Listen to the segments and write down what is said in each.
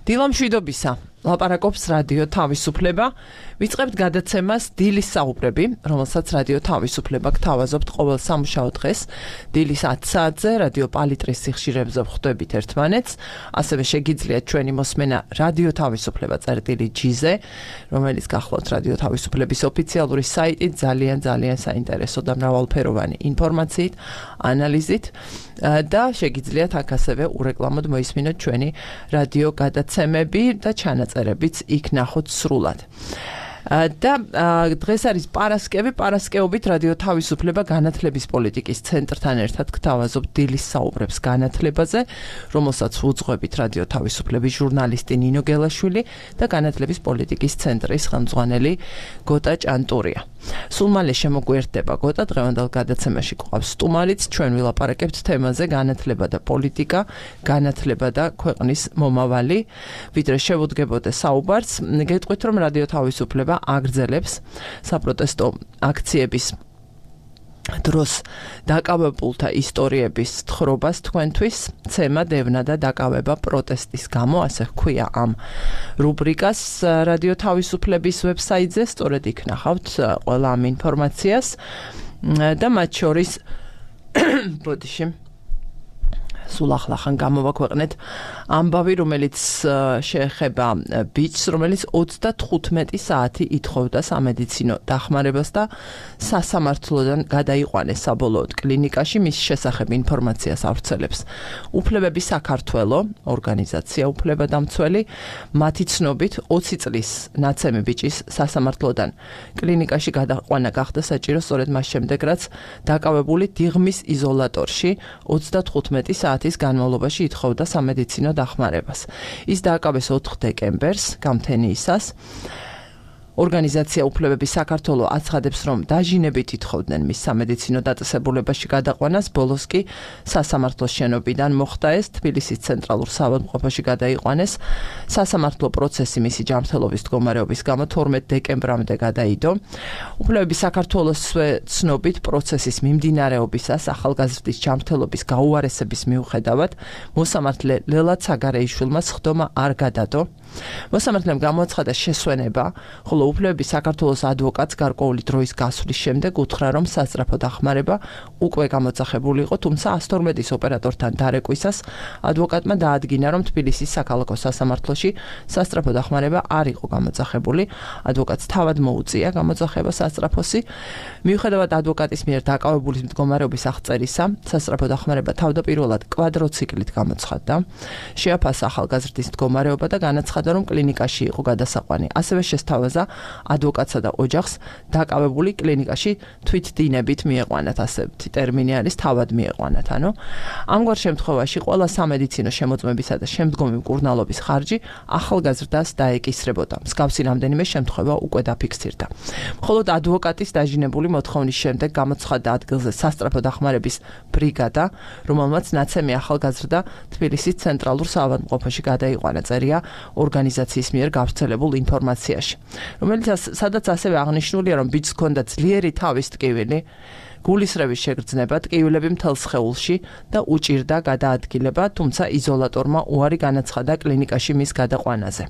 დილამშვიდობისა. ლაპარაკობს რადიო თავისუფლება. ვიწყებთ გადაცემას დილის საუბრები, რომელსაც რადიო თავისუფლება გთავაზობთ ყოველ სამუშაო დღეს. დილის 10 საათზე რადიო პალიტრის სიხშირებზე ვხვდებით ერთმანეთს. ასევე შეგიძლიათ ჩვენი მოსმენა რადიო თავისუფლება წერტილი-G-ზე, რომელიც გახლავთ რადიო თავისუფლების ოფიციალური საიტით, ძალიან საინტერესო და მრავალფეროვანი ინფორმაციით, ანალიზით და შეგიძლიათ აქ ასევე ურეკლამოდ მოისმინოთ ჩვენი რადიო გადაცემები და ჩანაწერებიც იქ ნახოთ სრულად. და დღეს არის პარასკევობით რადიო თავისუფლება განათლების პოლიტიკის ცენტრთან ერთად გთავაზობთ დილის საუბრებს განათლებაზე, რომელსაც უძღვებით რადიო თავისუფლების ჟურნალისტი ნინო გელაშვილი და განათლების პოლიტიკის ცენტრის ხელმძღვანელი გოტა ჭანტურია. სულ მალე შემოგვიერთდება გოტა, დღევანდელ გადაცემაში გვყავს სტუმარიც, ჩვენ ვილაპარაკებთ თემაზე განათლება და პოლიტიკა, განათლება და ქვეყნის მომავალი. ვიდრე შევუდგებოდე საუბარს, გეტყვით რომ რადიო თავისუფლება აგრძელებს საპროტესტო აქციების დროს დაკავებულთა ისტორიების თხრობას თქვენთვის, ცემა, დევნა და დაკავება პროტესტის გამო, ასე ჰქვია ამ რუბრიკას რადიო თავისუფლების ვებსაიტზე, სწორედ იქ ნახავთ ყველა ამ ინფორმაციას და მათ შორის ბოდიში სულ ახლახან გამოვაქვეყნეთ ამბავი, რომელიც შეეხება ბიჭს, რომელიც 35 საათი ითხოვდა სამედიცინო დახმარებას და სასამართლოდან გადაიყვანეს საბოლოოდ კლინიკაში. მის შესახებ ინფორმაციას ავრცელებს უფლებები საქართველო, ორგანიზაცია უფლებადამცველი. მათი ცნობით 20 წლის ნაცემი ბიჭის სასამართლოდან კლინიკაში გადაყვანა გახდა საჭირო სწორედ მას შემდეგ, რაც დაკავებული დიღმის იზოლატორში 35 საათის განმავლობაში ითხოვდა სამედიცინო დახმარებას. ის დააკავეს 4 დეკემბერს, გამთენიისას. ორგანიზაცია უფლებები საქართველო აცხადებს, რომ დაჟინებით ითხოვდნენ მის სამედიცინო დაწესებულებაში გადაყვანას, ბოლოს კი სასამართლოს შენობიდან მოხდა ეს, თბილისის ცენტრალურ საავადმყოფოში გადაიყვანეს. სასამართლო პროცესი მისი ჯანმრთელობის მდგომარეობის გამო 12 დეკემბრამდე გადაიდო. უფლებები საქართველოს ცნობით პროცესის მიმდინარეობისას ახალგაზრდის ჯანმრთელობის გაუარესების მიუხედავად მოსამართლე ლელად საგარეიშვილმა სხდომა არ გადადო. მოსამართლემ გამოაცხადა შესვენება, ხოლო უფლებების საქართველოს ადვოკატს გარკვეული დროის გასვლის შემდეგ უთხრა, რომ სასწრაფო დახმარება უკვე გამოძახებული იყო, თუმცა 112-ის ოპერატორთან დარეკვისას ადვოკატმა დაადგინა, რომ თბილისის საქალაქო სასამართლოში სასწრაფო დახმარება არ იყო გამოძახებული. ადვოკატს თავად მოუწია გამოძახება სასწრაფოსი. მიუხედავად ადვოკატის მიერ დაკავებულის მდგომარეობის აღწერისა, სასწრაფო დახმარება თავდაპირველად კვადროციკლით გამოცხადდა. შეაფასა ახალგაზრდის მდგომარეობა და განაცხადა, რომ კლინიკაში იყო გადასაყვანი. ასევე შესთავაზა ადვოკატსა და ოჯახს დაკავებული კლინიკაში თვითდინებით მieყვანათ, ასეთი ტერმინი არის, თავად მieყვანათ. ანუ ამგვარ შემთხვევაში ყველა სამედიცინო შემოწმებისა და შემდგომი მკურნალობის ხარჯი ახალგაზრდას დაეკისრებოდა. მსგავსი რამდენიმე შემთხვევა უკვე დაფიქსირდა. მხოლოდ ადვოკატის დაჟინებული მოთხოვნის შემდეგ გამოცხადდა ადგილზე სასწრაფო დახმარების ბრიგადა, რომელმაც ნაცემი ახალგაზრდა თბილისის ცენტრალურ საავადმყოფოში გადაიყვანა, წერია ორგანიზაციის მიერ გავრცელებულ ინფორმაციაში, სადაც ასევე აღნიშნულია, რომ ბიჭს ჰქონდა ძლიერი თავის ტკივილი, გულისრევის შეგრძნება, ტკივილები მთელ სხეულში და უჭირდა გადაადგილება, თუმცა იზოლატორმა უარი განაცხადა კლინიკაში მის გადაყვანაზე.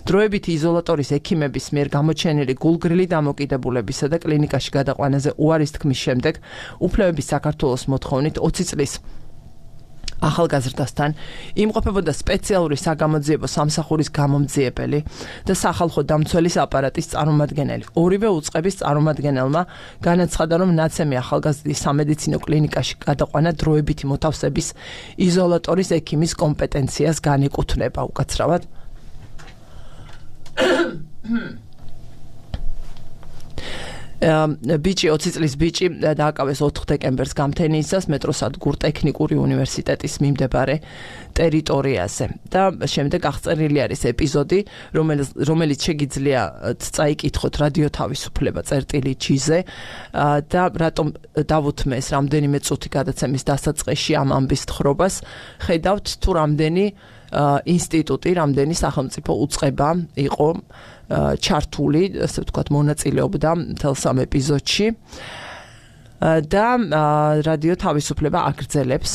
დროებითი იზოლატორის ექიმების მიერ გამოჩენილი გულგრილი დამოკიდებულებისა და კლინიკაში გადაყვანაზე უარის თქმის შემდეგ უფლებების საქართველოს მოთხოვნით 20 წლის ახალგაზრდასთან იმყოფებოდა სპეციალური საგამოძიებო სამსახურის გამომძიებელი და სახალხო დამცველის აპარატის წარმომადგენელი. ორივე უწყების წარმომადგენელმა განაცხადა, რომ ნაცემი ახალგაზრდის სამედიცინო კლინიკაში გადაყვანა დროებითი მოთავსების იზოლატორის ექიმის კომპეტენციას განეკუთვნება უკაცრავად. ბიჭი 20 წლის ბიჭი დააკავეს 4 დეკემბერს გამთენიისას მეტროსადგურ ტექნიკური უნივერსიტეტის მიმდებარე ტერიტორიაზე და შემდეგ აღწერილი არის ეპიზოდი, რომელიც შეგიძლია წაიკითხოთ რადიო თავისუფლება წერტილი-G-ზე და რატომ დავუთმეს რამდენიმე წუთი გადაცემის დასაწყისში ამ ამბის თხრობას, ხედავთ თუ რამდენი ინსტიტუტი, რამდენი სახელმწიფო უწყება იყო ჩართული, ასე ვთქვათ, მონაწილეობდა მთელ სამ ეპიზოდში. და რადიო თავისუფლება აგრძელებს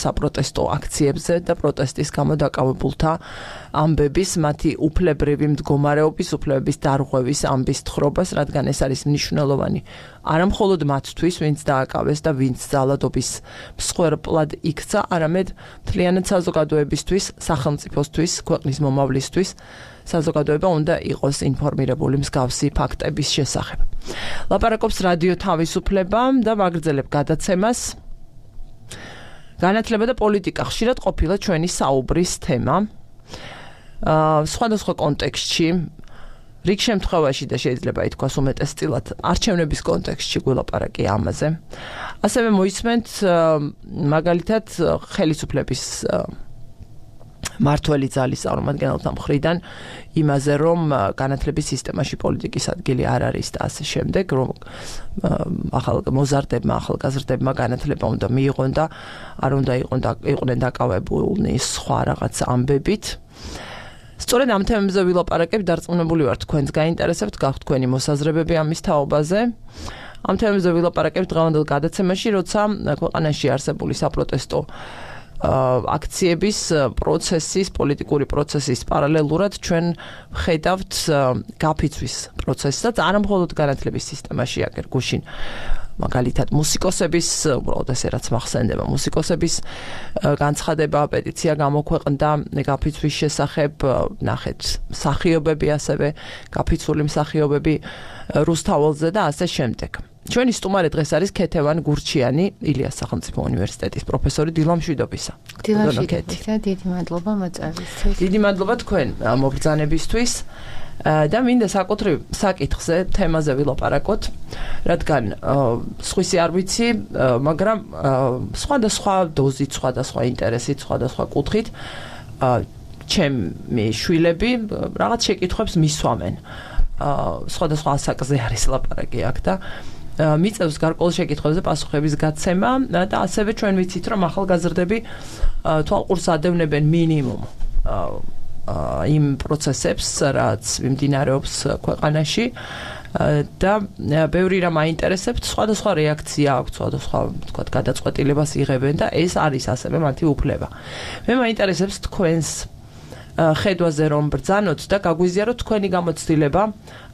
საპროტესტო აქციებზე და პროტესტის გამო დაკავებულთა ამბების, მათი უფლებრივი მდგომარეობის, უფლებების დარღვევის ამბის თხრობას, რადგან ეს არის მნიშვნელოვანი არა მხოლოდ მათთვის, ვინც დააკავეს და ვინც ძალადობის მსხვერპლად იქცა, არამედ მთლიანად საზოგადოებისთვის, სახელმწიფოსთვის, ქვეყნის მომავლისთვის საზოგადოება უნდა იყოს ინფორმირებული მსგავსი ფაქტების შესახებ. ლაპარაკობს რადიო თავისუფლება და ვაგრძელებ გადაცემას. განათლება და პოლიტიკა ხშირად ყოფილა ჩვენი საუბრის თემა. სხვადასხვა კონტექსტში, რიგ შემთხვევაში და შეიძლება ითქვას უმეტესწილად არჩევნების კონტექსტში გულაპარაკი ამაზე. ასევე მოისმენთ მაგალითად ხელისუფლების მართველი ძალის წარმომადგენელთა მხრიდან იმაზე, რომ განათლების სისტემაში პოლიტიკის ადგილი არ არის და ასე შემდეგ, რომ მოზარდებმა, ახალგაზრდებმა განათლება უნდა მიიღონ და არ უნდა იყვნენ დაკავებულნი სხვა რაღაც ამბებით. სწორედ ამ თემებზე ვილაპარაკებ, დარწმუნებული ვარ თქვენს გაინტერესებთ, გაქვთ თქვენი მოსაზრებები ამის თაობაზე. ამ თემებზე ვილაპარაკებ დღევანდელ გადაცემაში, როცა ქვეყანაში არსებული საპროტესტო აქციების პროცესის, პოლიტიკური პროცესის პარალელურად ჩვენ ვხედავთ გაფიცვის პროცესსაც, არა მხოლოდ განათლების სისტემაში, აგერ გუშინ მაგალითად მუსიკოსების, უბრალოდ ესე რაც მახსენდება, მუსიკოსების განცხადება, პეტიცია გამოქვეყნდა გაფიცვის შესახებ, ნახეთ მსახიობები ასევე, გაფიცვული მსახიობები რუსთაველზე და ასე შემდეგ. ჩვენი სტუმარი დღეს არის ქეთევან გურჩიანი, ილიას სახელმწიფო უნივერსიტეტის პროფესორი დილამშვიდობისა. დილამშვიდობისა, დიდი მადლობა მოწვევისთვის. დიდი მადლობა თქვენ მობრძანებისთვის. და მინდა საკუთრივ საკითხზე, თემაზე ვილაპარაკოთ, რადგან სხვისი არ ვიცი, მაგრამ სხვადასხვა დოზით, სხვადასხვა ინტერესით, სხვადასხვა კუთხით ჩემი შვილები რაღაც შეკითხვებს მისვამენ. სხვადასხვა ასაკზე არის ლაპარაკი აქ და მიწევს გარკვეულ შეკითხვებზე პასუხების გაცემა და ასევე ჩვენ ვიცით, რომ ახალგაზრდები თვალყურს ადევნებენ მინიმუმ იმ პროცესებს, რაც მიმდინარეობს ქვეყანაში და ბევრი რამ აინტერესებთ, სხვადასხვა რეაქცია აქვს, სხვადასხვა თქვათ გადაწყვეტილებას იღებენ და ეს არის ასევე მათი უფლება. მე მაინტერესებს თქვენს ხედვაზე რომ ბრძანოთ და გაგვიზიაროთ თქვენი გამოცდილება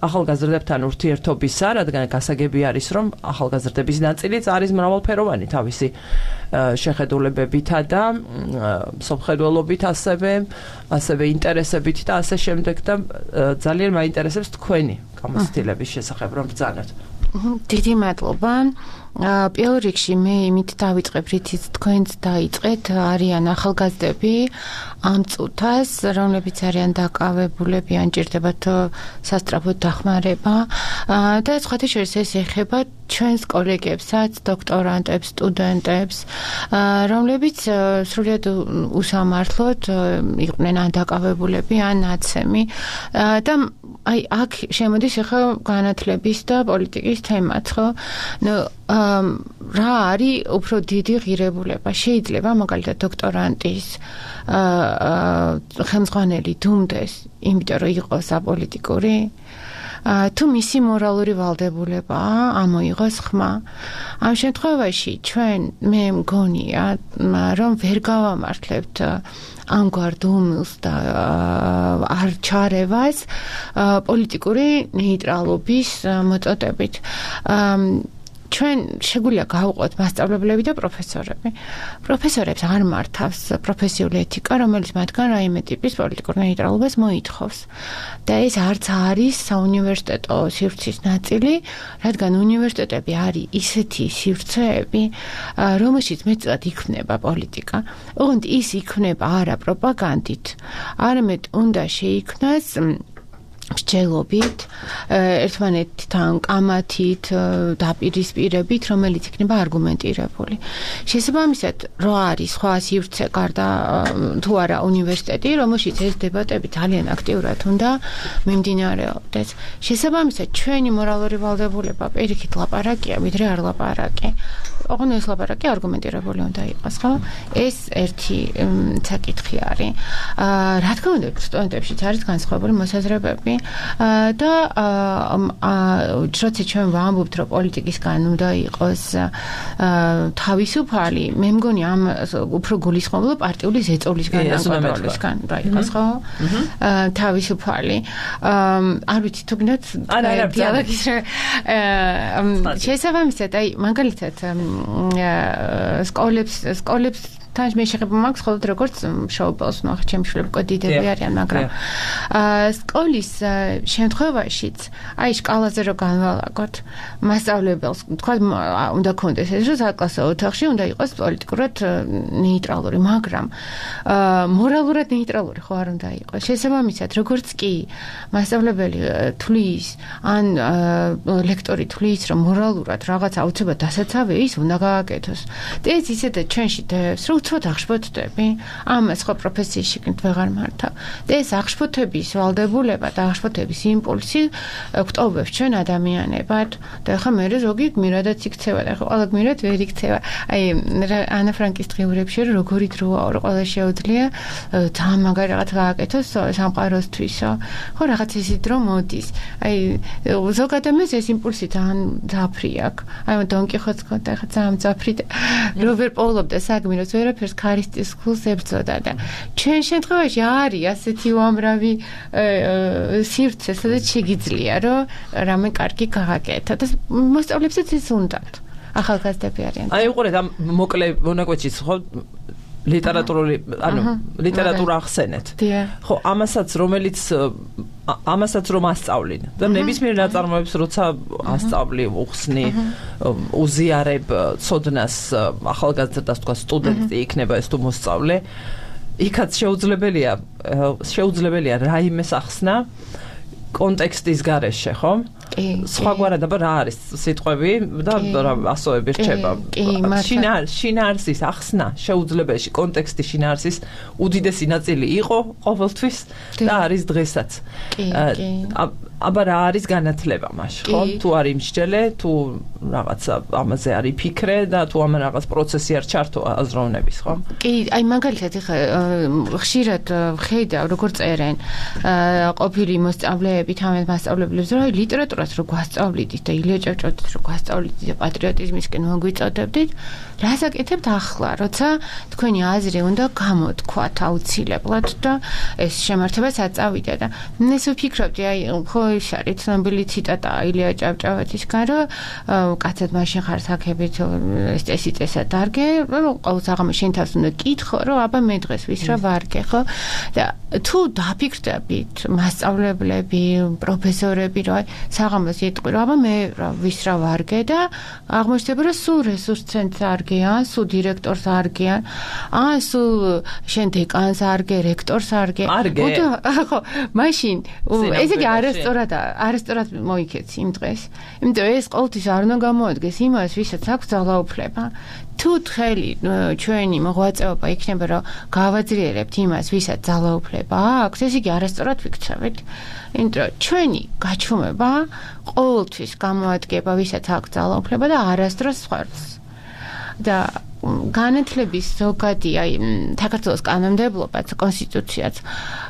ახალგაზრდებთან ურთიერთობისა, რადგან გასაგები არის, რომ ახალგაზრდების ნაწილიც არის მრავალფეროვანი თავისი შეხედულებებითა და მსოფლმხედველობით ასევე ინტერესებით და ასე შემდეგ და ძალიან მაინტერესებს თქვენი გამოცდილების შესახებ რომ ბრძანოთ. დიდი მადლობა. პირველ რიგში მე იმით დავიწყებ, რითიც თქვენც დაიწყეთ, არიან ახალგაზრდები ამ წუთას, რომლებიც არიან დაკავებულები, ან ჭირდებათ სასწრაფოდ დახმარება და სხვათა შორის ეს ეხება ჩვენს კოლეგებსაც, დოქტორანტებს, სტუდენტებს, რომლებიც სრულიად უსამართლოდ იყვნენ ან დაკავებულები, ან ნაცემი და აი აქ შემოდის ახლა განათლების და პოლიტიკის თემაც, ხო? რა არის უფრო დიდი ღირებულება? შეიძლება მაგალითად დოქტორანტის ხელმძღვანელი დუმდეს, იმიტომ რომ იყოს აპოლიტიკური? თუ მისი მორალური ვალდებულებაა, ამოიღოს ხმა. ამ შემთხვევაში ჩვენ მე მგონია, რომ ვერ გავამართლებთ ამგვარ დუმილს და არ ჩარევას პოლიტიკური ნეიტრალობის მოწოდებით. ჩვენ შეგვიძლია გავუყოთ მასწავლებლები და პროფესორები. პროფესორებს არ მართავს პროფესიული ეთიკა, რომელიც მათგან რაიმე ტიპის პოლიტიკურ ნეიტრალობას მოითხოვს. და ეს არც არის საუნივერსიტეტო სივრცის ნაწილი, რადგან უნივერსიტეტები არის ისეთი სივრცეები, რომელშიც მეტად იქმნება პოლიტიკა. ოღონდ ის იქმნება არა პროპაგანდით, არამედ უნდა შეიქმნას მსჯელობით, ერთმანეთთან კამათით, დაპირისპირებით, რომელიც იქნება არგუმენტირებული. შესაბამისად, რო არის სხვა სივრცე გარდა თუ არა უნივერსიტეტი, რომელშიც ეს დებატები ძალიან აქტიურად უნდა მიმდინარეობდეს. შესაბამისად, ჩვენი მორალური ვალდებულება პირიქით ლაპარაკია, ვიდრე არ ლაპარაკი. ოღონდ ეს ლაპარაკი არგუმენტირებული უნდა იყოს, ხო? ეს ერთი საკითხი არის. რა თქმა უნდა, სტუდენტებშიც არის განსხვავებული მოსაზრებები და როცა ჩვენ ვამბობთ, რომ პოლიტიკისგან უნდა იყოს თავისუფალი, მე მგონი ამ უფრო გულისხმობ პარტიული ზეწოლისგან ან კონტროლისგან რა იყოს, ხო? თავისუფალი. არ ვიცი თუ გინდათ დიალოგის შესაბამისად, აი მაგალითად სკოლებს თან მე შეხება მაქვს ხოლმე როგორც შოუპელს ნახე ჩემი შვილები კოდიდები არიან, მაგრამ სკოლის შემთხვევაშიც აი სკალაზე რო განვალაგოთ მასწავლებელს თქვა უნდა კონდეს ეს რომ საკლასო ოთახში უნდა იყოს პოლიტიკურად ნეიტრალური, მაგრამ მორალურად ნეიტრალური ხო არ უნდა იყოს. შესაბამისად, როგორც კი მასწავლებელი თulis ან ლექტორი თulis რომ მორალურად რაღაც აუცილებლად დასაცავი ის უნდა გააკეთოს. და ეს ისედაც ჩვენში დევს რომ უცბად აღშფოთდები, ამას ხო პროფესიაში ვეღარ მართავ. და ეს აღშფოთების ვალდებულება და აღშფოთების იმპულსი გვტოვებს ჩვენ ადამიანებად და ხა მე ზოგი გმირადაც იქცევა და ხა ყველა გმირად ვერ იქცევა. აი ანა ფრანკის დღიურებში როგორი დროა რომ ყველა შეუძლია ძალიან მაგარი რაღაც გააკეთოს სამყაროსთვისო. ხო რაღაც ისეთი დრო მოდის. აი ზოგ ადამიანს ეს იმპულსი ძალიან ძაფრი აქვს. აი დონ კიხოტს ხოდა ხა ძალიან ძაფრი და რობერ პოულობდა საგმიროს ვერაფერს ქარისტის ხულს ებრძოდა და ჩვენ შემთხვევაში არის ასეთი უამრავი სივრცე, სადაც შეგიძლია რომ რამე კარგი გააკეთო და მოსწავლეებსაც ეს უნდათ. ახალგაზრდები არიან. აი უყურეთ ამ მოკლე მონაკვეთშიც ხო ლიტერატურული, ანუ ლიტერატურა ახსენეთ. ხო, ამასაც რომ ასწავლინ. და ნებისმიერ ნაწარმოებს როცა ასწავლი, უხსნი, უზიარებ ცოდნას ახალგაზრდას, თქვა სტუდენტი იქნება ეს თუ მოსწავლე, იქაც შეუძლებელია რაიმეს ახსნა კონტექსტის გარეშე, ხო? სხვაგვარად აბა რა არის სიტყვები და ასოები რჩება. შინაარსის ახსნა შეუძლებელია, კონტექსტის შინაარსის უდიდესი ნაწილი იყო ყოველთვის და არის დღესაც. აბა რა არის განათლება მაშინ, ხო? თუ არ იმსჯელე, თუ რაღაცა ამაზე არ იფიქრე და თუ ამ რაღაც პროცესი არ ჩართო აზროვნების, ხო? კი, აი მაგალითად ეხა ხშირად ვხედავ როგორ წერენ ყოფილი მოსწავლეები თამარ მასწავლებლებს, რომ აი ლიტერატურას რო გვასწავლიდით და ილია ჭავჭავაძის რო გვასწავლიდით და პატრიოტიზმისკენ მოგვიწოდებდით, რას აკეთებთ ახლა, როცა თქვენი აზრი უნდა გამოთქვათ აუცილებლად და ეს შემართებას აწავიდა და ეს ვფიქრობდი, აი ხო ის არის ცნობილი ციტატა ილია ჭავჭავაძისგან, რომ კაცად მაშინ ხარ საქებით ეს წესიწესა დარგე, რომ ყოველს აღამე შენ თავს უნდა კითხო, რომ აბა მე დღეს ვის რა ვარგე, ხო? და თუ დაფიქრდებით მასწავლებლები, პროფესორები, რომ აი საღამოს იტყვი, რომ აბა მე ვის რა ვარგე და აღმოჩნდება, რომ სულ რესურს ცენტრს არგიან, სულ დირექტორს არგიან, ან სულ შენ დეკანს არგე, რექტორს არგე. ხო, მაშინ ესე იგი არასწორად მოიქეცი იმ დღეს. იმიტომ ეს ყოველთვის არ უნდა გამოადგეს იმას, ვისაც აქვს ძალაუფლება. თუ თხელი ჩვენი მოღვაწეობა იქნება, რომ გავაძლიერებთ იმას, ვისაც ძალაუფლება აქვს, ეს იგი არასწორად ვიქცევით. იმიტომ ჩვენი გაჩვმება ყოველთვის გამოადგება, ვისაც აქვს ძალაუფლება და არასდროს სხვას. და განათლების ზოგადი აი საქართველოს კანონმდებლობაც, კონსტიტუციაც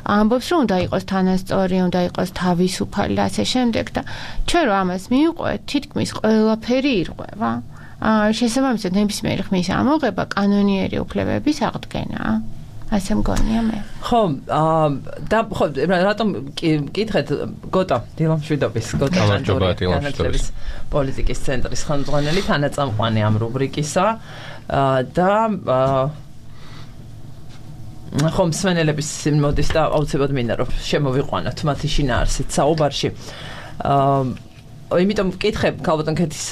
ამბობს, რომ უნდა იყოს თანასწორი, უნდა იყოს თავისუფალი და ასე შემდეგ და ჩვენ რომ ამას მივყვეთ, თითქმის ყველაფერი ირღვევა. შესაბამისად, ნებისმიერი ხმის ამოღება კანონიერი უფლებების აღდგენაა. ასე მგონია მე. ხო, და ხო, რატომ კითხეთ გოტა დილამშვიდობის, გოტა განათლების პოლიტიკის ცენტრის ხელმძღვანელი თანაწამყვანი ამ რუბრიკისა და ხო, მსმენელების მოდის და აუცილებლად მინდა რომ შემოვიყვანოთ მათი შინაარსით საუბარში. იმიტომ ვკითხებ ქალბატონქეთის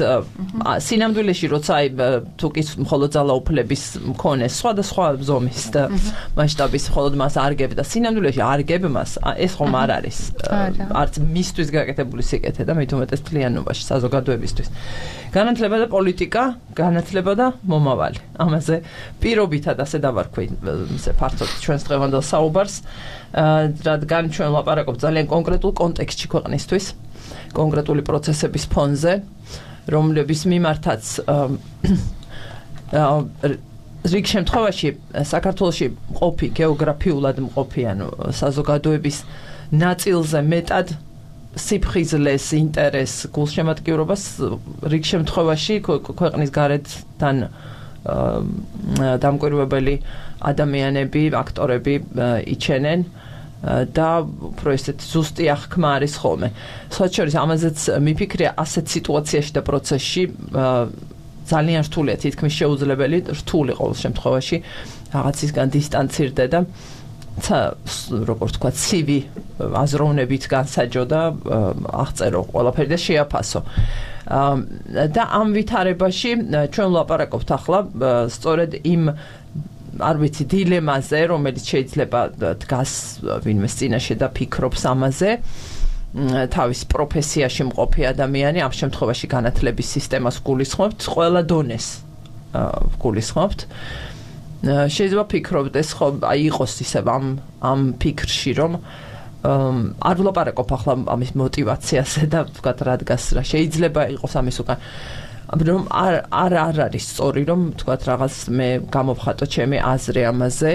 სინამდვილეში როცა აი თუ კი მხოლოდ ძალაუფლების მქონე სხვადასხვა ზომის და მასშტაბის მხოლოდ მას არგებდა სინამდვილეში არგებმას ეს ხომ არ არის არც მისთვის გაკეთებული სიკეთე და მით უმეტეს თლიანობაში საზოგადოებისთვის განათლება და პოლიტიკა განათლება და მომავალი ამაზე პირობითად ასე დავარქვი ისე ფართოდ ჩვენს დღევანდელ საუბარს რადგან ჩვენ ლაპარაკობთ ძალიან კონკრეტულ კონტექსტში ქვეყნისთვის კონკრეტული პროცესების ფონზე, რომლების მიმართაც რიგ შემთხვევაში საქართველოში მყოფი გეოგრაფიულად მყოფი ანუ საზოგადოების ნაწილზე მეტად სიფხიზლეს ინტერესს გულშემატკივრობას რიგ შემთხვევაში ქვეყნის გარეთთან დამკვირვებელი ადამიანები, აქტორები იჩენენ და უფრო ესეთი ზუსტი აღქმა არის ხოლმე. სხვათა შორის ამაზეც მიფიქრია ასეთ სიტუაციაში და პროცესში ძალიან რთულია, თითქმის შეუძლებელი, რთული ყოველ შემთხვევაში რაღაცისგან დისტანცირდე და როგორც თქვა, ცივი აზროვნებით განსაჯო და აღწერო ყველაფერი და შეაფასო. და ამ ვითარებაში ჩვენ ვლაპარაკობთ ახლა სწორედ იმ არ ვიცი დილემაზე, რომელიც შეიძლება დგას ვინმეს წინაშე და ფიქრობს ამაზე. თავის პროფესიაში მყოფი ადამიანი ამ შემთხვევაში განათლების სისტემას გულისხმობთ, ყველა დონეს გულისხმობთ. შეიძლება ფიქრობდეს ხო აი იყოს ისევ ამ ფიქრში რომ არ ვლაპარაკობ ახლა ამის мотиваციაზე და ვთქვათ რა დგას რა შეიძლება იყოს ამის უკან რომ არ არის სწორი რომ ვთქვათ რაღაც მე გამოვხატო ჩემი აზრი ამაზე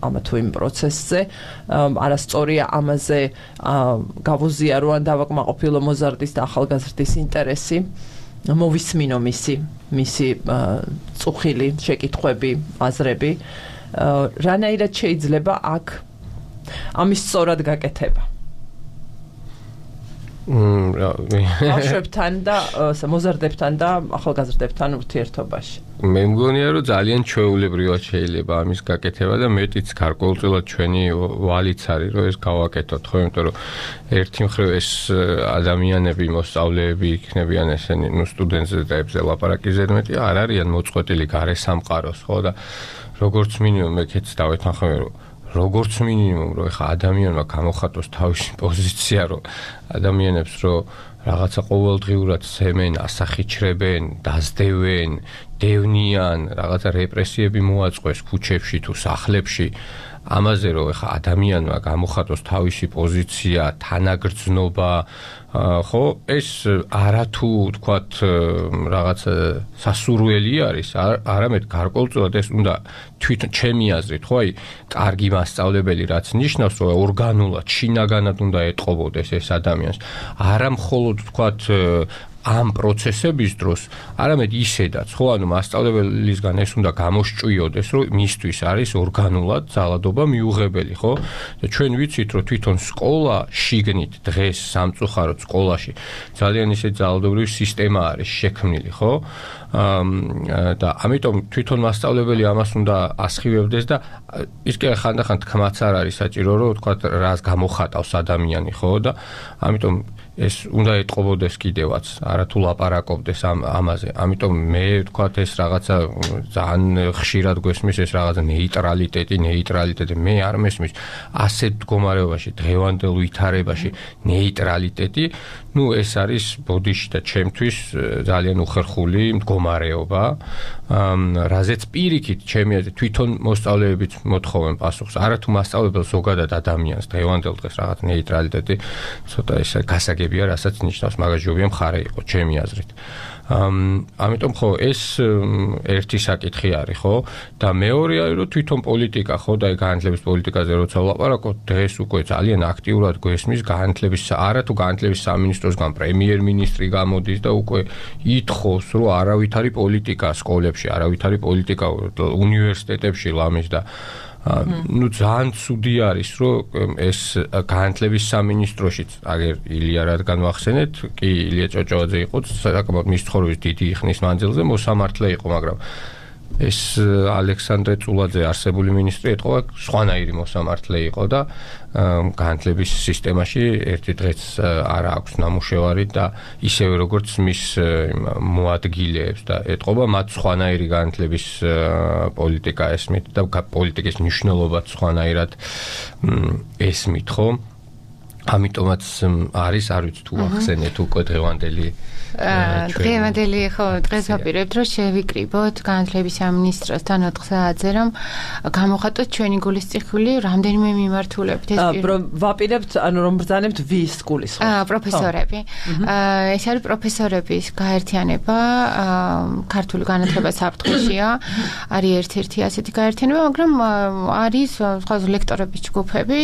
ამა თუ იმ პროცესზე არასწორია ამაზე გავუზიარო ან დავაკმაყოფილო მოზარდის და ახალგაზრდის ინტერესი მოვისმინო მისი წუხილი შეკითხვები აზრები რანაირად შეიძლება აქ ამის სწორად გაკეთება ბავშვებთან და მოზარდებთან და ახალგაზრდებთან ურთიერთობაში. მე მგონია რომ ძალიან ჩვეულებრივად შეიძლება ამის გაკეთება და მეტიც გარკვეულწილად ჩვენი ვალიც არის რომ ეს გავაკეთოთ ხო იმიტომ რომ ერთი მხრივ ეს ადამიანები მოსწავლეები იქნებიან ესენი სტუდენტებზე ლაპარაკი ზედმეტი არ არიან მოწყვეტილი გარესამყაროს ხო და როგორც მინიმუმ მეკეც დავეთანხმები რომ როგორც მინიმუმ რომ ეხა ადამიანმა გამოხატოს თავისი პოზიცია რომ ადამიანებს რომ რაღაცა ყოველდღიურად სემენ, ასახიჩრებენ, დაძდევენ, დევნიან, რაღაცა რეპრესიები მოაწყვეს ქუჩებში თუ სახლებში ამაზე რომ ეხა ადამიანმა გამოხატოს თავისი პოზიცია, თანაგრძნობა ხო ეს არათუ თქვათ რაღაც სასურველი არის არამედ გარკვეულწილად ეს უნდა თვითონ ჩემი აზრით ხო აი კარგი მასწავლებელი რაც ნიშნავს რომ ორგანულად შინაგანად უნდა ეტყობოდეს ეს ადამიანს არა მხოლოდ თქვათ ამ პროცესების დროს არამედ ისედაც ხო ანუ მასწავლებელისგან ეს უნდა გამოსჭვიოდეს რომ მისთვის არის ორგანულად ძალადობა მიუღებელი ხო და ჩვენ ვიცით რომ თვითონ სკოლა შიგნით დღეს სამწუხაროდ სკოლაში ძალიან ისე ძალადობრივი სისტემა არის შექმნილი ხო და ამიტომ თვითონ მასწავლებელი ამას უნდა ასხივებდეს და ის კი ხანდახან თქმაც არ არის საჭირო რომ თქვა რას გამოხატავს ადამიანი ხო და ამიტომ ეს უნდა ეტყობოდეს კიდევაც არათუ ლაპარაკობდეს ამაზე ამიტომ მე ვთქვათ ეს რაღაცა ძალიან ხშირად გვესმის ეს რაღაცა ნეიტრალიტეტი მე არ მესმის ასეთ მდგომარეობაში დღევანდელ ვითარებაში ნეიტრალიტეტი ну ეს არის ბოდიში და ჩემთვის ძალიან უხერხული მდგომარეობა რაზეც პირიქით ჩემი აზრით თვითონ მოსწავლეებიც მოთხოვენ პასუხს არათუ მასწავლებელ ზოგადად ადამიანს დღევანდელ დღეს რაღაც ნეიტრალიტეტი ცოტა ეს გასაგებია რასაც ნიშნავს მაგას ჯობია მხარე იყო ჩემი აზრით ამიტომ ხო ეს ერთი საკითხი არის ხო და მეორე არის რომ თვითონ პოლიტიკა ხო და განათლების პოლიტიკაზე როცა ვლაპარაკობ დღეს უკვე ძალიან აქტიურად გვესმის განათლების არათუ განათლების სამინისტროსგან პრემიერ-მინისტრი გამოდის და უკვე ითხოვს რომ არავითარი პოლიტიკა სკოლებში არავითარი პოლიტიკა უნივერსიტეტებში ლამის და ну ძალიან ცუდი არის რომ ეს განათლების სამინისტროშიც აგერ ილია რადგან ვახსენეთ კი ილია ჭოჭოაძე იყო საკმაოდ მის ცხოვრების დიდი ხნის მანძილზე მოსამართლე იყო მაგრამ ეს ალექსანდრე წულაძე არსებული მინისტრი ეთყობა სხვანაირი მოსამართლე იყო და განათლების სისტემაში ერთი დღეც არ აქვს ნამუშევარი და ისევე როგორც მის მოადგილეებს და ეთყობა მათ სხვანაირი განათლების პოლიტიკა ესმით და პოლიტიკის მნიშვნელობაც სხვანაირად ესმით ხო ამიტომაც არის, არ ვიცი თუ ახსენეთ უკვე დღევანდელი დღევანდელი ხო დღეს ვაპირებთ რომ შევიკრიბოთ განათლების სამინისტროსთან 4 საათზე რომ გამოხატოთ ჩვენი გულისწყლი რამდენიმე მიმართულებით ვაპირებთ ანუ რომ ბრძანებთ ვის გულისწყლს პროფესორები ეს არის პროფესორების გაერთიანება ქართული განათლება საფრთხეშია არის ერთ-ერთი ასეთი გაერთიანება მაგრამ არის სხვა ლექტორების ჯგუფები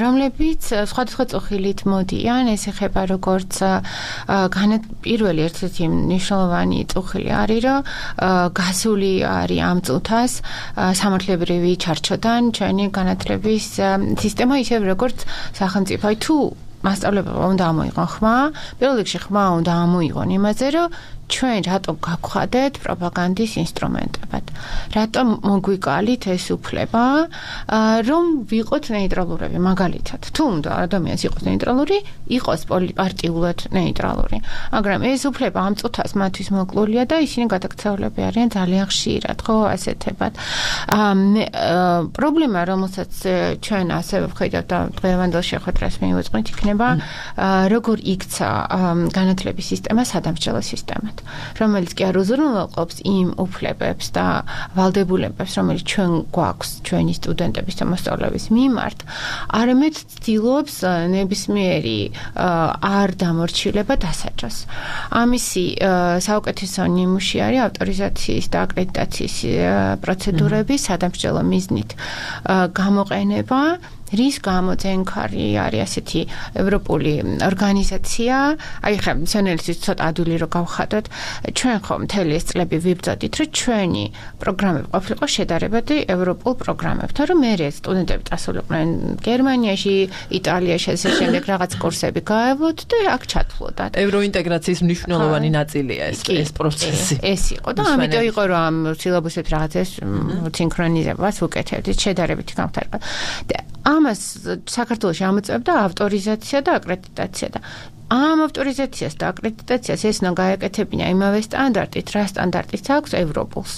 რომლებიც სხვადასხვა წუხილით მოდიან ეს ეხება როგორც პირველი ერთ-ერთი მნიშვნელოვანი წუხილი არის რომ გასული არის ამ წუთას სამართლებრივი ჩარჩოდან ჩვენი განათლების სისტემა ისევ როგორც სახელმწიფო თუ მასწავლებელმა უნდა ამოიღონ ხმა პირველ რიგში ხმა უნდა ამოიღონ იმაზე რომ ჩვენ რატომ გავხადეთ პროპაგანდის ინსტრუმენტებად რატომ მოგვიკალით ეს უფლება რომ ვიყოთ ნეიტრალურები მაგალითად თუ უნდა ადამიანს იყოს ნეიტრალური იყოს პარტიულად ნეიტრალური მაგრამ ეს უფლება ამ წუთას მათთვის მოკლულია და ისინი გადაქცეულები არიან ძალიან ხშირად ხო ასეთებად პრობლემა რომელსაც ჩვენ ასევე ვხედავთ და დღევანდელ შეხვედრას მივუძღვნით იქნება როგორ იქცა განათლების სისტემა სადამსჯელო სისტემად რომელიც კი არ უზრუნველყოფს იმ უფლებებს და ვალდებულებებს, რომელიც ჩვენ გვაქვს ჩვენი სტუდენტების და მოსწავლეების მიმართ, არამედ ცდილობს ნებისმიერი არ დამორჩილება დასაჯოს. ამისი საუკეთესო ნიმუში არის ავტორიზაციის და აკრედიტაციის პროცედურების სადამსჯელო მიზნით გამოყენება რის გამო ძენქარი არის ასეთი ევროპული ორგანიზაცია, აი ხა მცენელისთვის ცოტა ადვილი რო გავხადოთ, ჩვენ ხომ მთელი ეს წლები ვიბრძოდით, რომ ჩვენი პროგრამები ყოფილიყო შედარებადი ევროპულ პროგრამებთან, რომ მე სტუდენტები წასულიყვნენ გერმანიაში, იტალიაში, ესე შემდეგ რაღაც კურსები გაევლოთ და აქ ჩათვლოდათ. ევროინტეგრაციის მნიშვნელოვანი ნაწილია ეს პროცესი. ეს იყო და ამიტომ იყო რომ ამ სილაბუსებს რაღაცას სინქრონიზებას უკეთებდით, შედარებითი გამხდარება. ამას საქართველოში ამოწევდა ავტორიზაცია და აკრედიტაცია და ამ ავტორიზაციას და აკრედიტაციას ეს უნდა გაეკეთებინა იმავე სტანდარტით, რა სტანდარტიც აქვს ევროპულს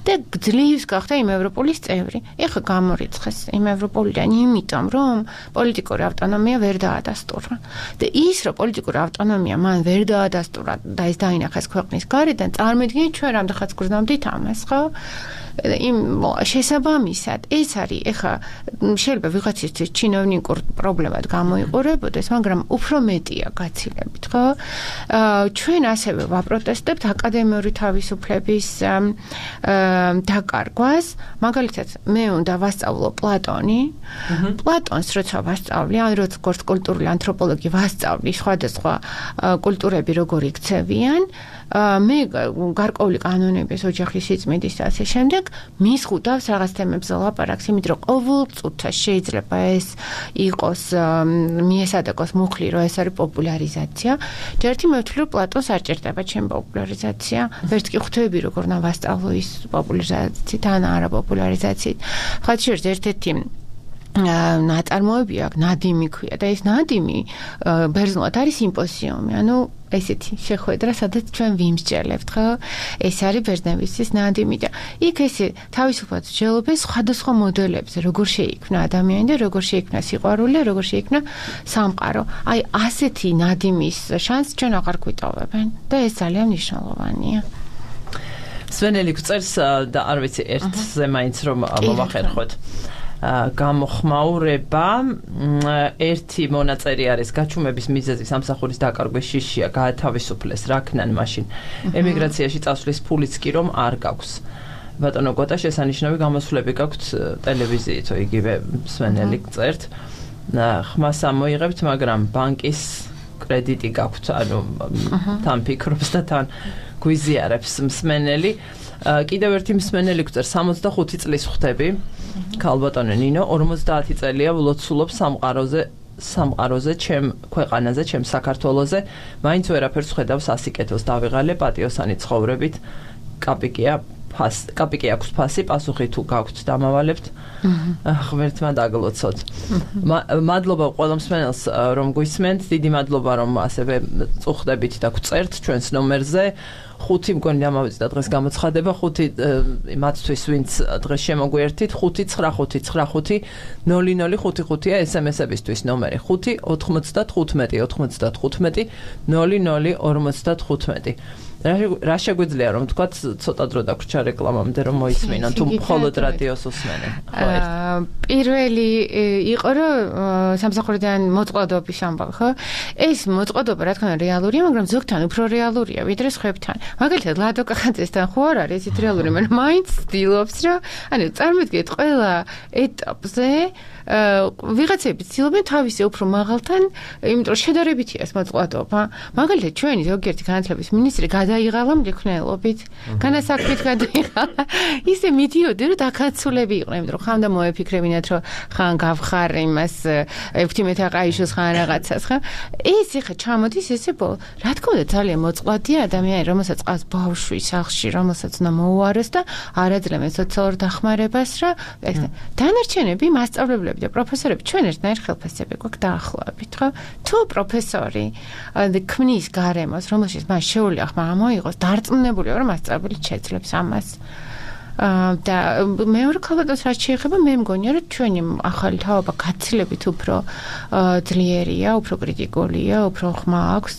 და ძლივს გახდა იმ ევროპულის წევრი. ეხლა გამორიცხეს იმ ევროპულიდან იმიტომ, რომ პოლიტიკური ავტონომია ვერ დაადასტურა. და ის, რომ პოლიტიკური ავტონომია მან ვერ დაადასტურა და ეს დაინახეს ქვეყნის გარედან, წარმოიდგინეთ ჩვენ რამდენხანს გრძნობდით ამას, ხო? იმ შესაბამისად ეს არის ეხა შეიძლება ვიღაცისთვის ჩინოვნიკურ პრობლემად გამოიყურებოდეს, მაგრამ უფრო მეტია გაცილებით, ხო? ჩვენ ასევე ვაპროტესტებთ აკადემიური თავისუფლების დაკარგვას. მაგალითად, მე უნდა ვასწავლო პლატონი. პლატონს როცა ვასწავლი, ან როგორც კულტურული ანთროპოლოგი ვასწავლი სხვადასხვა კულტურები როგორ იქცევიან, მე გარკვეული კანონების ოჯახის სიწმინდის და ასე შემდეგ მის ხუდავს რაღაც თემებზე ლაპარაკს, იმიტომ რომ ყოველ წუთას შეიძლება ეს იყოს მიესადაკოს მუხლი, რომ ეს არის პოპულარიზაცია. ჯერთი მე ვთვლი, რომ პლატონს არ ჭირდება ჩემ პოპულარიზაცია. ვერც კი ხვდები, როგორ უნდა ვასწავლო ის პოპულარიზაციით ან არა პოპულარიზაციით. ხალხში ერთ-ერთი ნაწარმოები აქვს, ნადიმი ქვია და ეს ნადიმი ბერძნულად არის სიმპოზიუმი, ანუ ესეთი შეხვედრა, სადაც ჩვენ ვიმსჯელებთ, ხო? ეს არის ბერძნებისთვის ნადიმი და იქ ესე თავისუფლად მსჯელობენ სხვადასხვა მოდელებზე, როგორ შეიქმნა ადამიანი და როგორ შეიქმნა სიყვარული, როგორ შეიქმნა სამყარო. აი ასეთი ნადიმის შანსს ჩვენ აღარ გვიტოვებენ და ეს ძალიან მნიშვნელოვანია. სვენელი გწერს და არ ვიცი ერთზე მაინც რომ მომახერხოთ. გამოხმაურება ერთი მონაწერი არის გაჩუმების მიზეზი სამსახურის დაკარგვის შიშია გაათავისუფლეს რაქნან მაშინ ემიგრაციაში წასვლის ფულიც კი რომ არ გაქვს ბატონო გოტა შესანიშნავი გამოსვლები გაქვთ ტელევიზიითო იგივე სვენელი წერთ ხმას ამოიღებთ მაგრამ ბანკის კრედიტი გაქვთ ანუ თან ფიქრობს და თან გვიზიარებს მსმენელი კიდევ ერთი მსმენელი გწერს 65 წლის ხვდები ქალბატონო ნინო 50 წელია ვლოცულობს სამყაროზე ჩემ ქვეყანაზე ჩემ საქართველოზე მაინც ვერაფერს ხედავს ასიკეთოს დავიღალე პატიოსანი ცხოვრებით კაპიკი აქვს ფასი პასუხი თუ გაქვთ დამავალებთ ღმერთმა დაგლოცოთ მადლობა ყველა მსმენელს რომ გვისმენთ დიდი მადლობა რომ ასევე წუხდებით და გვწერთ ჩვენს ნომერზე 5 მგონი დამავიწყდა დღეს გამოცხადება 5 მათთვის ვინც დღეს შემოგვიერთით 5-9-5-5-0-0-5-5-ია SMS-ებისთვის ნომერი 5-95-15-00-55. რა შეგვიძლია რომ თქვათ ცოტა დრო დაგვრჩა რეკლამამდე რომ მოისმინონ თუ მხოლოდ რადიოს უსმენენ? პირველი იყო რომ სამსახურიდან მოწყვლადობის ამბავი, ხო? ეს მოწყვლადობა რა თქმა უნდა რეალურია, მაგრამ ზოგთან უფრო რეალურია ვიდრე სხვებთან. მაგალითად ლადო კახაძესთან ხო არ არის ისეთ რეალური, მაგრამ მაინც ცდილობს რომ ანუ წარმოვიდგინეთ ყველა ეტაპზე ვიღაცები ცდილობენ თავისი უფრო მაღალთან, იმიტომ რომ შედარებითია ეს მოწყვლადობა. მაგალითად ჩვენი ზოგიერთი განათლების მინისტრი გადაიღალა მრექმნელობით, განასაქმით გადაიღალა. ისე მიდიოდნენ რომ დაქაცულები იყვნენ, იმიტომ რომ ხანდა მოეფიქრებინათ რომ ხან გავხარ იმას ეფთიმეთაყაიშოს ხან რაღაცას, ხო? ეს ეხა ჩამოდის ესე ბოლო. რა თქმა უნდა ძალიან მოწყვლადია ადამიანი, რომელსაც ყავს ბავშვი სახლში, რომელსაც უნდა მოუაროს და არაძლევენ სოციალურ დახმარებას რა. დანარჩენები მასწავლებლები და პროფესორები ჩვენ ერთნაირ ხელფასები გვაქვს დაახლოებით, ხო? თუ პროფესორი ქმნის გარემოს, რომელშიც მას შეუძლია ხმა მოიღოს, დარწმუნებულია რომ მასწავლებელი შეძლებს ამას. და მეორე ქალბატონს რაც შეეხება, მე მგონია რომ ჩვენი ახალი თაობა გაცილებით უფრო ძლიერია, უფრო კრიტიკულია, უფრო ხმა აქვს,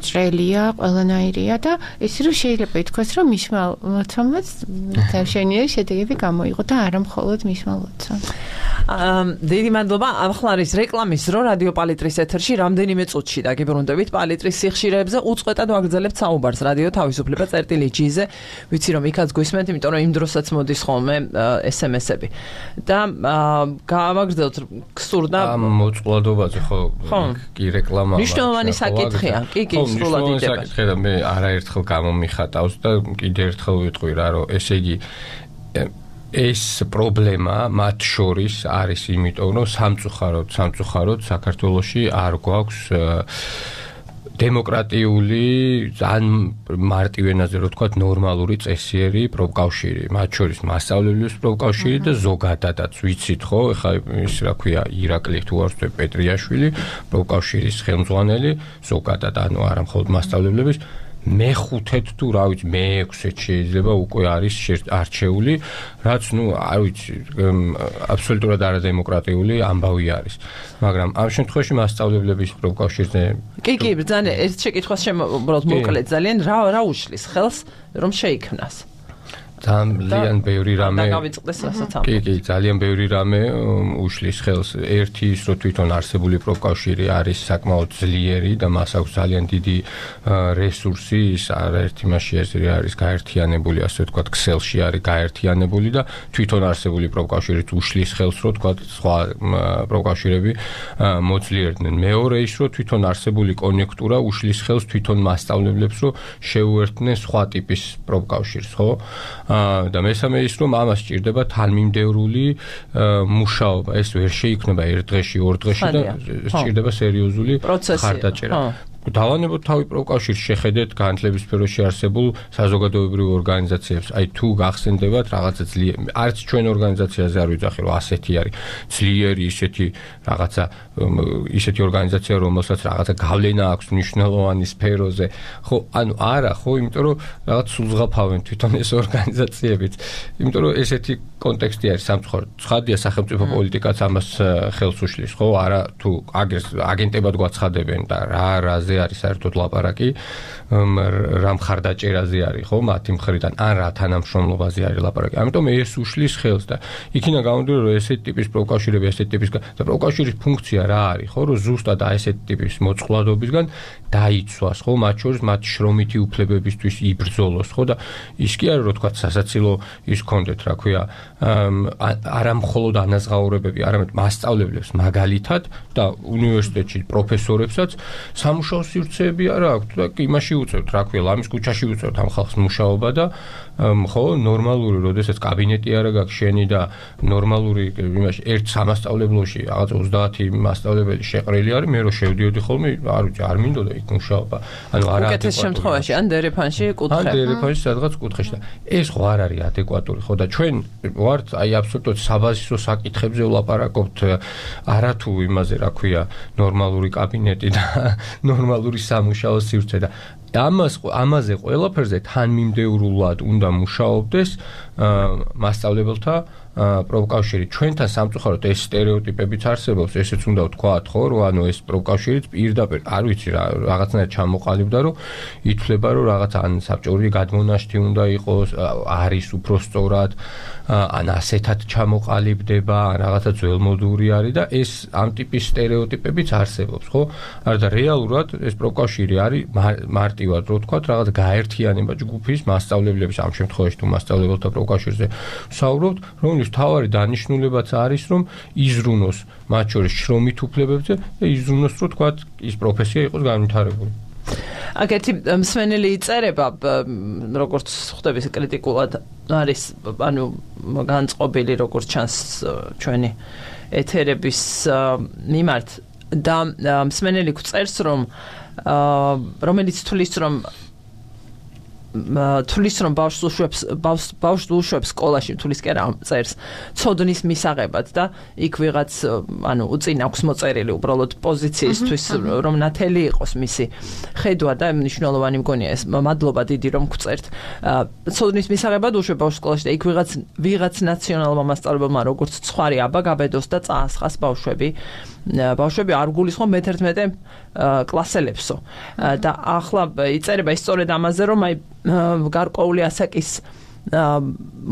ჭრელია, ყველანაირია და ის რომ შეიძლება ითქვას რომ მისმა ლოცვამაც თავშენიერი შედეგები გამოიღო და არა მხოლოდ მისმა ლოცვამ. დიდი მადლობა. ახლა არის რეკლამის დრო რადიო პალიტრის ეთერში. რამდენიმე წუთში დაგიბრუნდებით პალიტრის სიხშირეებზე. უწყვეტად ვაგრძელებთ საუბარს რადიო თავისუფლება წერტილი-G-ზე. ვიცი რომ იქაც გვისმენთ, იმიტომ რომ იმ დროსაც მოდის ხოლმე SMS-ები. და გავაგრძელოთ გსურდა მოწყვლადობაზე ხო კი რეკლამა. მნიშვნელოვანი საკითხია. კი, სრულად იდება. საკითხია და მე არაერთხელ გამომიხატავს და კიდე ერთხელ ვიტყვი რა რომ ესე იგი ეს პრობლემა მათ შორის არის იმიტომ რომ სამწუხაროდ საქართველოში არ გვაქვს დემოკრატიული ძალიან მარტივ ენაზე რო ვთქვათ ნორმალური წესიერი პროფკავშირი, მათ შორის მასწავლებლების პროფკავშირი და ზოგადადაც ვიცით ხო, ეხლა ის რა ქვია ირაკლი თუ არ ვთქვი პეტრიაშვილი პროფკავშირის ხელმძღვანელი, ზოგადად ანუ არა მხოლოდ მასწავლებლების მეხუთედ თუ რა ვიცი მეექვსედ შეიძლება უკვე არის არჩეული, რაც ნუ არ ვიცი აბსოლუტურად არადემოკრატიული ამბავი არის. მაგრამ ამ შემთხვევაში მასწავლებლების პროფკავშირზე კი, ძალიან ერთ შეკითხვას შემობრალთ მოკლედ ძალიან რა უშლის ხელს რომ შეიქმნას? ძალიან ბევრი რამე დავიწყდეს რასაც ამ. კი, ძალიან ბევრი რამე უშლის ხელს. ერთი ის რომ თვითონ არსებული პროფკავშირი არის საკმაოდ ძლიერი და მას აქვს ძალიან დიდი რესურსი, ის არაერთი მასში არის გაერთიანებული, ასე ვთქვათ, ქსელში არის გაერთიანებული და თვითონ არსებული პროფკავშირით უშლის ხელს, რომ ვთქვათ, სხვა პროფკავშირები მოძლიერდნენ. მეორე ის რომ თვითონ არსებული კონიუნქტურა უშლის ხელს თვითონ მასწავლებლებს, რომ შეუერთდნენ სხვა ტიპის პროფკავშირს, ხო? და მესამე ის რომ ამას სჭირდება თანმიმდევრული მუშაობა. ეს ვერ შეიქმნება ერთ დღეში, ორ დღეში და სჭირდება სერიოზული ხარდაჭერა. დავანებოთ თავი პროფკავშირს, შეხედეთ განათლების სფეროში არსებულ საზოგადოებრივ ორგანიზაციებს. აი თუ გახსენდებათ რაღაცა ძლიერი, არც ჩვენ ორგანიზაციაზე არ ვიძახი რომ ასეთი არის ძლიერი ისეთი ორგანიზაცია, რომელსაც რაღაცა გავლენა აქვს მნიშვნელოვანი სფეროზე. ხო, ანუ არა, ხო, იმიტომ რომ რაღაც სულზღაფავენ თვითონ ეს ორგანიზაციებიც. იმიტომ რომ ესეთი კონტექსტი არის სამწუხაროდ. ცხადია სახელმწიფო პოლიტიკაც ამას ხელს უშლის, ხო? არა თუ აგენტებად გვაცხადებენ და რაზე არის საერთოდ ლაპარაკი, რა მხარდაჭერაზე არის, ხო, მათი მხრიდან, ან რა თანამშრომლობაზე არის ლაპარაკი. ამიტომ ეს უშლის ხელს და იქიდან გამომდინარე, რომ ესეთი ტიპის პროფკავშირები, ესეთი ტიპის და პროფკავშირის ფუნქცია რა არის, ხო, რომ ზუსტად ესეთი ტიპის მოწყვლადობისგან დაიცვას, ხო, მათ შორის მათი შრომითი უფლებებისთვის იბრძოლოს, ხო და ის კი არის, რომ თქვათ, სასაცილო ის კონდეთ, რა ქვია, არა მხოლოდ ანაზღაურებები, არამედ მასწავლებლებს მაგალითად და უნივერსიტეტში პროფესორებსაც სამუშაო სივრცეები არა აქვთ და იმაში უწევთ, რა ქვია, ლამის ქუჩაში უწევთ ამ ხალხს მუშაობა და ხო, ნორმალური, როდესაც კაბინეტი არა გაქვს შენი და ნორმალური იმაში ერთ სამასწავლებლოში რაღაც 30 მასწავლებელი შეყრილი არის, მე რო შევდიოდი ხოლმე, არ ვიცი, არ მინდოდა იქ მუშაობა. ანუ არა უკეთეს შემთხვევაში ან დერეფანში კუთხე. ან დერეფანში სადღაც კუთხეში და ეს ხო არ არის ადეკვატური, ხო და ჩვენ ვართ აი აბსოლუტურად საბაზისო საკითხებზე ვლაპარაკობთ, არა თუ იმაზე, რა ქვია, ნორმალური კაბინეტი და ნორმალური სამუშაო სივრცე და ამაზე ყველაფერზე თანმიმდევრულად უნდა მუშაობდეს მასწავლებელთა პროფკავშირი. ჩვენთან სამწუხაროდ ეს სტერეოტიპებიც არსებობს, ესეც უნდა ვთქვათ, ხო, რომ ანუ ეს პროფკავშირიც პირდაპირ არ ვიცი რა რაღაცნაირად ჩამოყალიბდა, რომ ითვლება, რომ რაღაცა ან საბჭოური გადმონაშთი უნდა იყოს, არის უფრო სწორად, ან ასეთად ჩამოყალიბდება, ან რაღაცა ძველმოდური არის და ეს ამ ტიპის სტერეოტიპებიც არსებობს, ხო? არა და რეალურად ეს პროფკავშირი არის მარტივად რო ვთქვათ, რაღაც გაერთიანება ჯგუფის მასწავლებლების, ამ შემთხვევაში თუ მასწავლებელთა პროფკავშირზე ვსაუბრობთ, რომლის თავარი დანიშნულებაც არის, რომ იზრუნოს მათ შორის შრომით უფლებებზე და იზრუნოს, რო თქვათ, ის პროფესია იყოს განვითარებული. აგეთი მსმენელი იწერება, როგორც ხვდების კრიტიკულად არის, ანუ განწყობილი როგორც ჩანს ჩვენი ეთერების მიმართ და მსმენელი გვწერს, რომ რომელიც თulis რომ ბავშვს უშვებს სკოლაში, თulis კი არა წერს ცოდნის მისაღებად და იქ ვიღაც ანუ უწინ აქვს მოწერილი უბრალოდ პოზიციისთვის რომ ნათელი იყოს მისი ხედვა და მნიშვნელოვანი მგონია ეს. მადლობა დიდი რომ გვწერთ. ცოდნის მისაღებად უშვებ ბავშვს სკოლაში და იქ ვიღაც ნაციონალურმა მასწავლებელმა როგორც ცხარი აბა გაბედოს და წაასხას ბავშვები არ გულისხმობ მე-11 კლასელებსო და ახლა იწერება ის სწორედ ამაზე, რომ აი გარკვეული ასაკის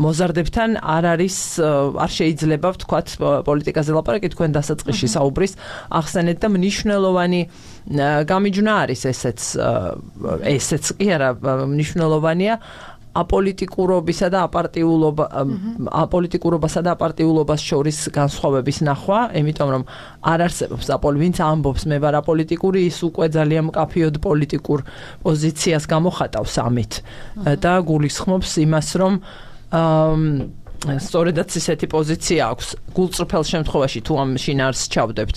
მოზარდებთან არ შეიძლება ვთქვათ პოლიტიკაზე ლაპარაკი, თქვენ დასაწყისში საუბრის ახსენეთ და მნიშვნელოვანი გამიჯვნა არის ესეც კი არა მნიშვნელოვანია აპოლიტიკურობისა და აპოლიტიკურობასა და აპარტიულობას შორის განსხვავების ნახვა, იმიტომ რომ არ არსებობს ვინც ამბობს მე ვარ აპოლიტიკური, ის უკვე ძალიან მკაფიოდ პოლიტიკურ პოზიციას გამოხატავს ამით და გულისხმობს იმას, რომ სწორედაც ისეთი პოზიცია აქვს გულწრფელ შემთხვევაში თუ ამ შინაარსს ჩავდებთ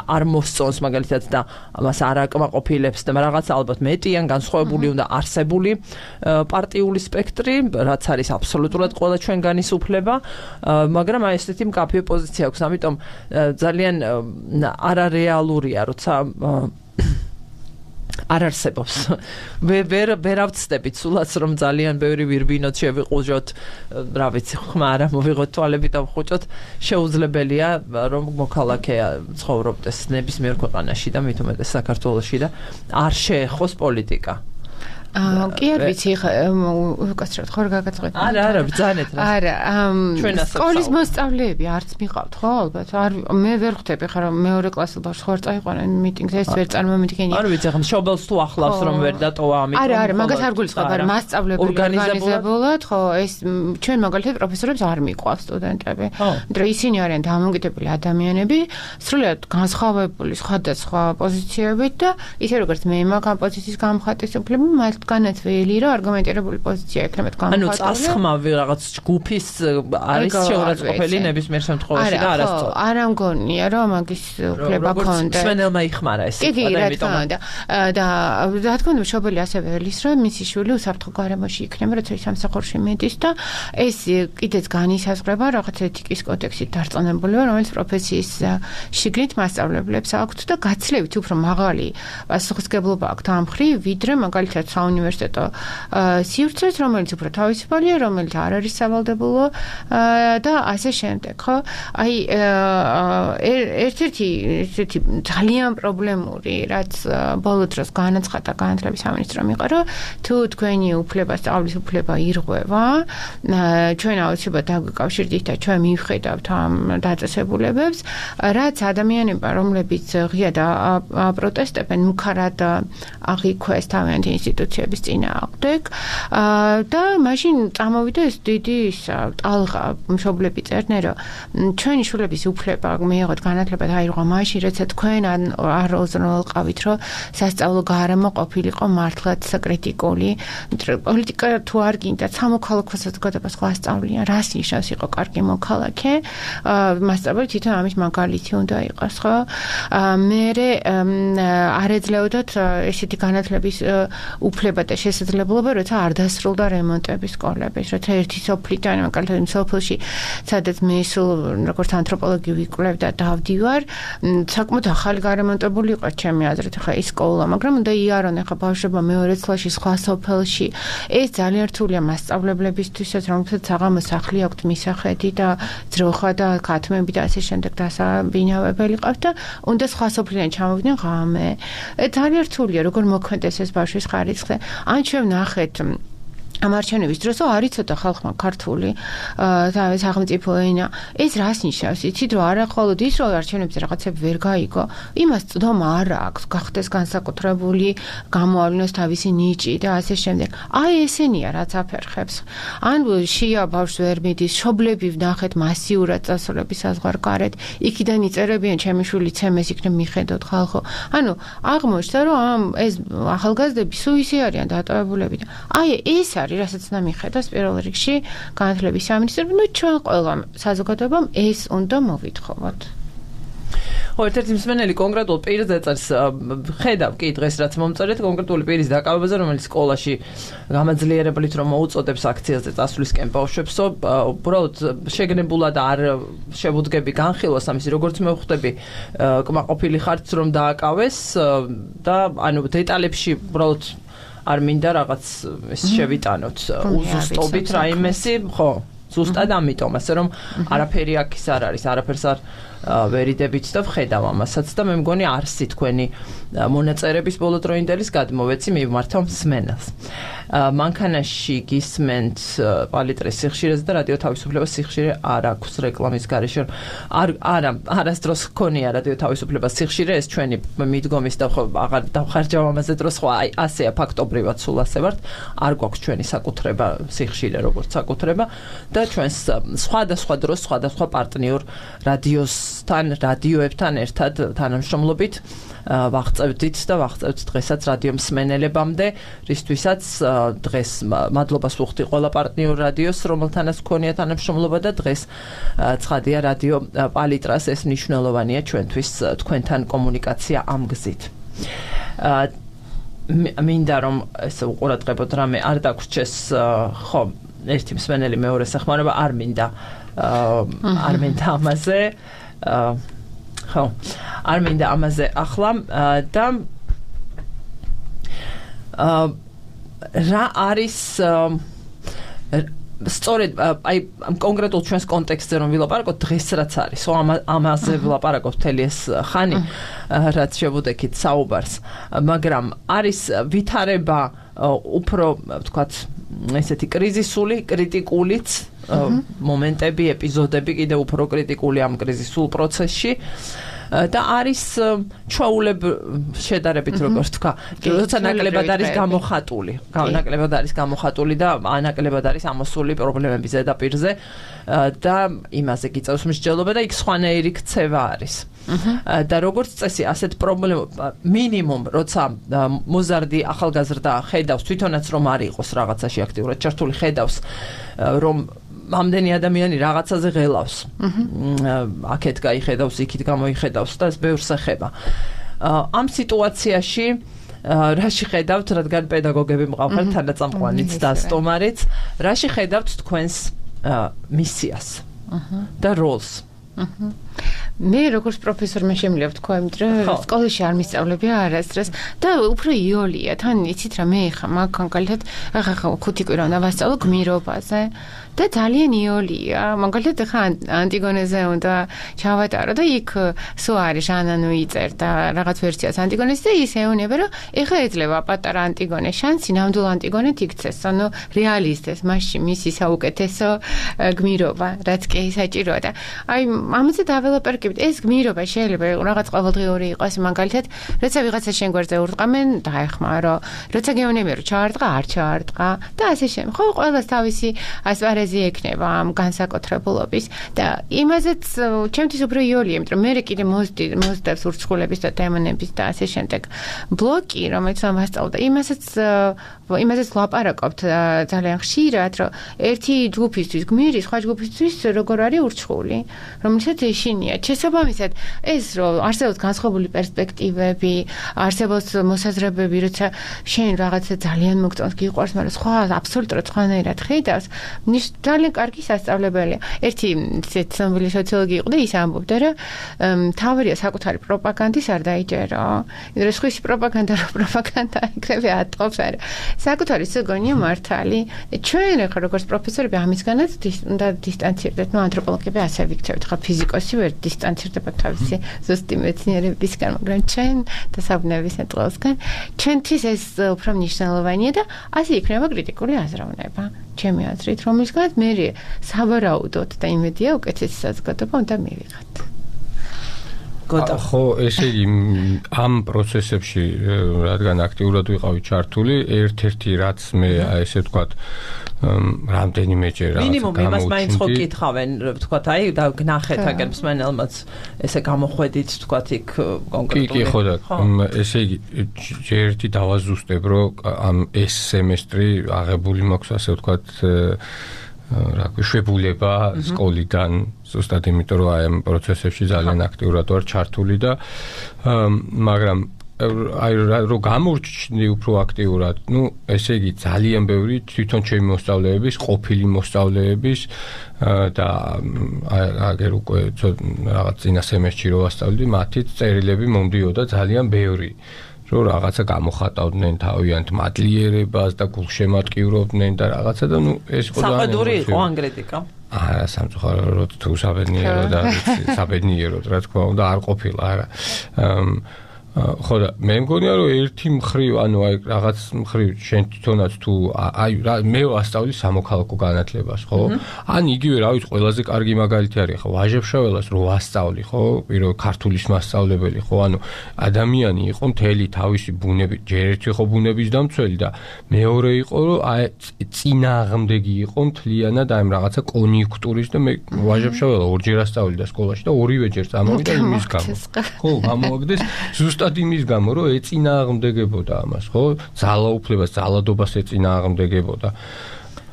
არ მოსწონს მაგალითად და ამას არ აკმაყოფილებს და რაღაც ალბათ მეტიან განსხვავებული უნდა არსებული პარტიული სპექტრი, რაც არის აბსოლუტურად ყველა ჩვენგანის უფლება, მაგრამ აი ესეთი მკაფიო პოზიცია აქვს, ამიტომ ძალიან არარეალურია, როცა არ არსებობს. ვერ ავწდებით სულაც რომ ძალიან ბევრი ვირბინოთ შევიყუჟოთ, რა ვიცი, ხმა არა მოვიღოთ თვალები და ვხუჭოთ, შეუძლებელია რომ მოქალაქე ცხოვრობდეს ნებისმიერ ქვეყანაში და მით უმეტეს საქართველოში და არ შეეხოს პოლიტიკა. კი არ ვიცი ხა უკაცრად ხო გაგაწყვეტ. არა, ბრძანეთ რა. არა, სკოლის მოსწავლეები არც მიყავთ ხო ალბათ. მე ვერ ხვდები ხა რომ მეორე კლასის ბავშვს ხარ წაიყვანენ მიტინგზე, ეს ვერ წარმომიდგენია. არ ვიცი ხა შობელს თუ ახლავს რომ ვერ დატოვა ამით. არა, მაგას არ გულისხმობ, არა, მასწავლებელი ორგანიზებულად, ხო, ეს ჩვენ მაგალითად პროფესორებს არ მიყვავს სტუდენტები. მაგრამ ისინი არიან დამოუკიდებელი ადამიანები, სრულად განსხვავებული სხვადასხვა პოზიციებით და ისე როგორც მე მაგ პოზიციის გამხატვის უფლება მათ განათველი რა არგუმენტირებული პოზიცია ექნება თქვენ. ანუ წასხმავი რაღაც ჯგუფის არის შეურაცხყოფელი ნებისმიერ შემთხვევაში და არასწორი. არა მგონია რომ მაგის უფლება ქონდა. სვენელმა იხმარა ეს. კი, რა თქმა უნდა. და რა თქმა უნდა შობელი ასევე ველის რომ მისი შვილი უსაფრთხო გარემოში იქნება, როცა ის სამსახურში მიდის და ეს კიდეც განისაზღვრება რაღაც ეთიკის კოდექსით დარწმუნებულება, რომელიც პროფესიის შიგნით მასწავლებლებს აქვთ და გაცილებით უფრო მაღალი პასუხისმგებლობა აქვთ ამ მხრივ, ვიდრე მაგალითად საუნივერსიტეტო სივრცეს, რომელიც უფრო თავისუფალია, რომელიც არ არის სავალდებულო და ასე შემდეგ, ხო? აი ერთ-ერთი ესეთი ძალიან პრობლემური, რაც ბოლო დროს განაცხადა განათლების სამინისტრომ იყო, რომ თუ თქვენი უფლება, სწავლის უფლება ირღვევა, ჩვენ აუცილებლად დაგვიკავშირდით და ჩვენ მივხედავთ ამ დაწესებულებებს, რაც ადამიანებმა, რომლებიც ღიად აპროტესტებენ, მუქარად აღიქვეს თავიანთი ინსტიტუციების წინააღმდეგ და მაშინ წამოვიდა ეს დიდი ტალღა, მშობლები წერდნენ, რომ ჩვენი შვილების უფლება მიიღოთ განათლება დაირღვა მაშინ, როცა თქვენ არ უზრუნველყავით, რომ სასწავლო გარემო ყოფილიყო მართლაც საკრიტიკული. პოლიტიკა თუ არ გინდა, სამოქალაქო საზოგადოება სხვა სწავლიან, რას ნიშნავს იყო კარგი მოქალაქე, მასწავლებელი თვითონ ამის მაგალითი უნდა იყოს, ხო? მე არ ეძლეოდათ ესეთი განათლების უფლება ვალდება და შესაძლებლობა, როცა არ დასრულდა რემონტები სკოლების, როცა ერთი სოფლიდან, მაგალითად სოფელში, სადაც მე სულ როგორც ანთროპოლოგი ვიკვლევ და დავდივარ, საკმაოდ ახალი გარემონტებული იყო ჩემი აზრით ხა ის სკოლა, მაგრამ უნდა იარონ ხა ბავშვებმა მეორე წლში სხვა სოფელში. ეს ძალიან რთულია მასწავლებლებისთვისაც, რომელსაც საღამოს სახლი აქვთ მისახედი და ძროხა და ქათმები და ასე შემდეგ დასაბინავებელი ყავთ და უნდა სხვა სოფლიდან ჩამოვიდნენ ღამე. ძალიან რთულია როგორ მოქმედეს ეს ბავშვის ხარისხზე. ან ჩვენ ნახეთ ამ არჩევნების დროს არ იცოდა ხალხმა ქართული თავის სახელმწიფო ენა. ეს რას ნიშნავს? იცით რომ არა მხოლოდ ის რომ არჩევნებზე რაღაცები ვერ გაიგო, იმას წდომა არ აქვს, გახდეს განსაკუთრებული, გამოავლინოს თავისი ნიჭი და ასე შემდეგ. აი ესენია რაც აფერხებს. ან შია ბავშვს ვერ მიდის, შობლები ვნახეთ მასიურად წასულების საზღვარგარეთ, იქიდან იწერებიან ჩემი შვილი ცემეს იქნებ მიხედოთ ხალხო. ანუ აღმოჩნდა რომ ამ ეს ახალგაზრდები სულ ისე არიან დატოვებულები და აი ეს არის რასაც უნდა მიხედოს პირველ რიგში განათლების სამინისტრომ, ნუ ჩვენ ყველა საზოგადოებამ ეს უნდა მოვითხოვოთ. ერთ-ერთი მსმენელი კონკრეტულ პირს ეწერს, ხედავ კი დღეს რაც მომწერეთ კონკრეტული პირის დაკავებაზე, რომელიც სკოლაში გამაძლიერებლით რომ მოუწოდებს აქციაზე წასვლისკენ ბავშვებსო, უბრალოდ შეგნებულად არ შევუდგები განხილვას ამის, როგორც მე ვხვდები, კმაყოფილი ხართ რომ დააკავეს და ანუ დეტალებში უბრალოდ არ მინდა რაღაც ეს შევიტანოთ უზუსტობით რაიმესი, ხო, ზუსტად ამიტომ, ასე რომ არაფერი აქ ის არ არის, არაფერს არ ვერიდებით და ვხედავ ამასაც და მე მგონი არსი თქვენი მონაწერების ბოლოდროინდელის გადმოვეცი მივმართავ მსმენელს. მანქანაში გისმენთ პალიტრის სიხშირეზე და რადიო თავისუფლებას სიხშირე არ აქვს რეკლამის გარეშე. არასდროს ჰქონია რადიო თავისუფლებას სიხშირე, ეს ჩვენი მიდგომის და აღარ დავხარჯავ ამაზე დროს, ხო აი ასეა ფაქტობრივად სულ ასე ვართ, არ გვაქვს ჩვენი საკუთრება სიხშირე როგორც საკუთრება და ჩვენს სხვადასხვა დროს სხვადასხვა პარტნიორ რადიოებთან ერთად თანამშრომლობით ვაღწევდით და ვაღწევთ დღესაც რადიო მსმენელებამდე, რისთვისაც დღეს მადლობას ვუხდი ყველა პარტნიორ რადიოს, რომელთანაც გქონია თანამშრომლობა და დღეს ცხადია რადიო პალიტრას ეს მნიშვნელოვანია ჩვენთვის თქვენთან კომუნიკაცია ამ გზით. მინდა რომ ეს უყურადღებოდ რამე არ დაგვრჩეს, ხო, ერთი მსმენელი მეორეს ეხმარება, არ მინდა ამაზე ხო, არ მინდა ამაზე ახლა და რა არის სწორედ აი ამ კონკრეტულ ჩვენს კონტექსტზე რომ ვილაპარაკოთ დღეს რაც არის, ხო ამაზე ვილაპარაკოთ მთელი ეს ხანი რაც შევუდექით საუბარს, მაგრამ არის ვითარება უფრო ვთქვათ ესეთი კრიზისული, კრიტიკულიც მომენტები, ეპიზოდები კიდევ უფრო კრიტიკული ამ კრიზისულ პროცესში და არის ჩვეულებ შედარებით როგორც თქვა, როცა ნაკლებად არის გამოხატული და ნაკლებად არის ამოსული პრობლემების ზედაპირზე და იმაზე გიწევს მსჯელობა და იქ სხვანაირი ქცევა არის. და როგორც წესი ასეთ პრობლემა მინიმუმ როცა მოზარდი ახალგაზრდა ხედავს თვითონაც რომ არ იყოს რაღაცაში აქტიურად ჩართული, ხედავს რომ ამდენი ადამიანი რაღაცაზე ღელავს. აქეთ გაიხედავს, იქით გამოიხედავს და ეს ბევრს ეხება. ამ სიტუაციაში რაში ხედავთ, რადგან პედაგოგები მყავთ, თანაწამყვანიც და სტომარიც, რაში ხედავთ თქვენს მისიას და როლს? მე როგორც პროფესორმა შემიძლია ვთქვა, რომ სკოლაში არ მისწავლებია არასდროს და უფრო იოლია. თან იცით რა, მე ხა მაგალითად ახლა 5 კვირა უნდა ვასწავლო გმირობაზე და ძალიან იოლია. მაგალითად ხა ანტიგონეზე უნდა ჩავატარო და იქ სულ არის ჟანანუ იწერდა რაღაც ვერსიას ანტიგონეს და ის ეუბნება, რომ ეხლა ეძლევა პატარა ანტიგონეს შანსი ნამდვილ ანტიგონეთ იქცეს, ანუ რეალისტეს, მასში მისი საუკეთესო გმირობა, რაც კი საჭიროა და აი ამაზე დაველოპერკებით ეს გმირობა შეიძლება რაღაც ყოველდღიური იყოს, მაგალითად, როცა ვიღაცა შენ გვერდზე ურტყამენ, დაეხმარო, როცა გეუბნებიან რომ ჩაარტყა, არ ჩაარტყა და ასე შემდეგ. ხო, ყველას თავისი ასპარეზი ექნება ამ განსაკუთრებულობის და იმაზეც ჩემთვის უფრო იოლია, იმიტომ რომ მე კიდე მოძდებს ურჩხულების და დემონების და ასე შემდეგ ბლოკი, რომელიც ამასწავლ და იმაზეც ლაპარაკობთ ძალიან ხშირად, რომ ერთი ჯგუფისთვის გმირი, სხვა ჯგუფისთვის როგორ არის ურჩხული, რომელსაც ეშინია. შესაბამისად, ეს რომ არსებობს განსხვავებული პერსპექტივები, არსებობს მოსაზრებები, როცა შენ რაღაცა ძალიან მოგწონს, გიყვარს, მაგრამ სხვა აბსოლუტურად სხვანაირად ხედავს, ძალიან კარგი სასწავლებელია. ერთი ცნობილი სოციოლოგი იყო და ის ამბობდა, რომ თავარია საკუთარი პროპაგანდის არ დაიჯერო. იმიტომ რომ სხვისი პროპაგანდა იქნება ატყობს არა. საკუთარი ზოგონია მართალი. ჩვენ ახლა როგორც პროფესორები ამისგანაც უნდა დისტანცირდეთ, ანთროპოლოგები ასე ვიქცევთ, ხა ფიზიკოსი ვერ დისტანცირდება თავისი ზუსტი მეცნიერებისგან, მაგრამ ჩვენ და საბუნების ეტყობისგან ჩვენთვის ეს უფრო მნიშვნელოვანია და ასე იქნება კრიტიკული აზროვნება. ჩემი აზრით, რომელსაც მე სავარაუდოდ და იმედია უკეთესი საზოგადოება უნდა მივიღოთ. ხო, ესე იგი ამ პროცესებში რადგან აქტიურად ვიყავი ჩართული, ერთ-ერთი რაც მე ესე ვთქვათ რამდენიმეჯერ მინიმუმ იმას მაინც ხო კითხავენ, ვთქვათ, აი და გნახეთ აგერ მსმენელმაც ესე გამოხვედით, ვთქვათ, იქ კონკრეტულად. კი, ხო და ესე იგი ერთი დავაზუსტებ, რომ ამ ეს სემესტრი აღებული მაქვს, ასე ვთქვათ, რა შვებულება სკოლიდან ზუსტად იმიტომ რომ აი ამ პროცესებში ძალიან აქტიურად ვარ ჩართული და მაგრამ აი რომ გამორჩნდი უფრო აქტიურად, ესე იგი ძალიან ბევრი თვითონ ჩემი მოსწავლეების, ყოფილი მოსწავლეების და აგერ უკვე რაღაც წინა სემესტრში რო ვასწავლდი, მათი წერილები მომდიოდა ძალიან ბევრი. რომ რაღაცა გამოხატავდნენ თავიანთ მადლიერებას და გულშემატკივრობდნენ და რაღაცა და ეს იყო ძალიან საყედური იყო ანგრეტიკა. არა, სამწუხაროდ თუ საბედნიერო და საბედნიეროდ რა თქმა უნდა არ ყოფილა, არა. ხო და მე მგონია რომ ერთი მხრივ, ანუ აი რაღაც მხრივ შენ თვითონაც თუ აი მე ვასწავლი სამოქალაქო განათლებას, ხო? ან იგივე რა ვიცი, ყველაზე კარგი მაგალითი არის ხო, ვაჟებშაველას რო ვასწავლი, ხო? პირველ ქართულის მასწავლებელი, ხო? ანუ ადამიანი იყო მთელი თავისი ბუნებით, ჯერ ერთი ხო ბუნების დამცველი და მეორე იყო რომ აი წინააღმდეგი იყო მთლიანად აი რაღაცა კონიუნქტურის და მე ვაჟებშაველა ორჯერ ასწავლიდა სკოლაში და ორივეჯერ წამოვიდა იმის გამო. ხო, გამოვაგდეს ზუსტად იმის გამო, რომ ეწინააღმდეგებოდა ამას, ხო? ძალაუფლებას, ძალადობას ეწინააღმდეგებოდა.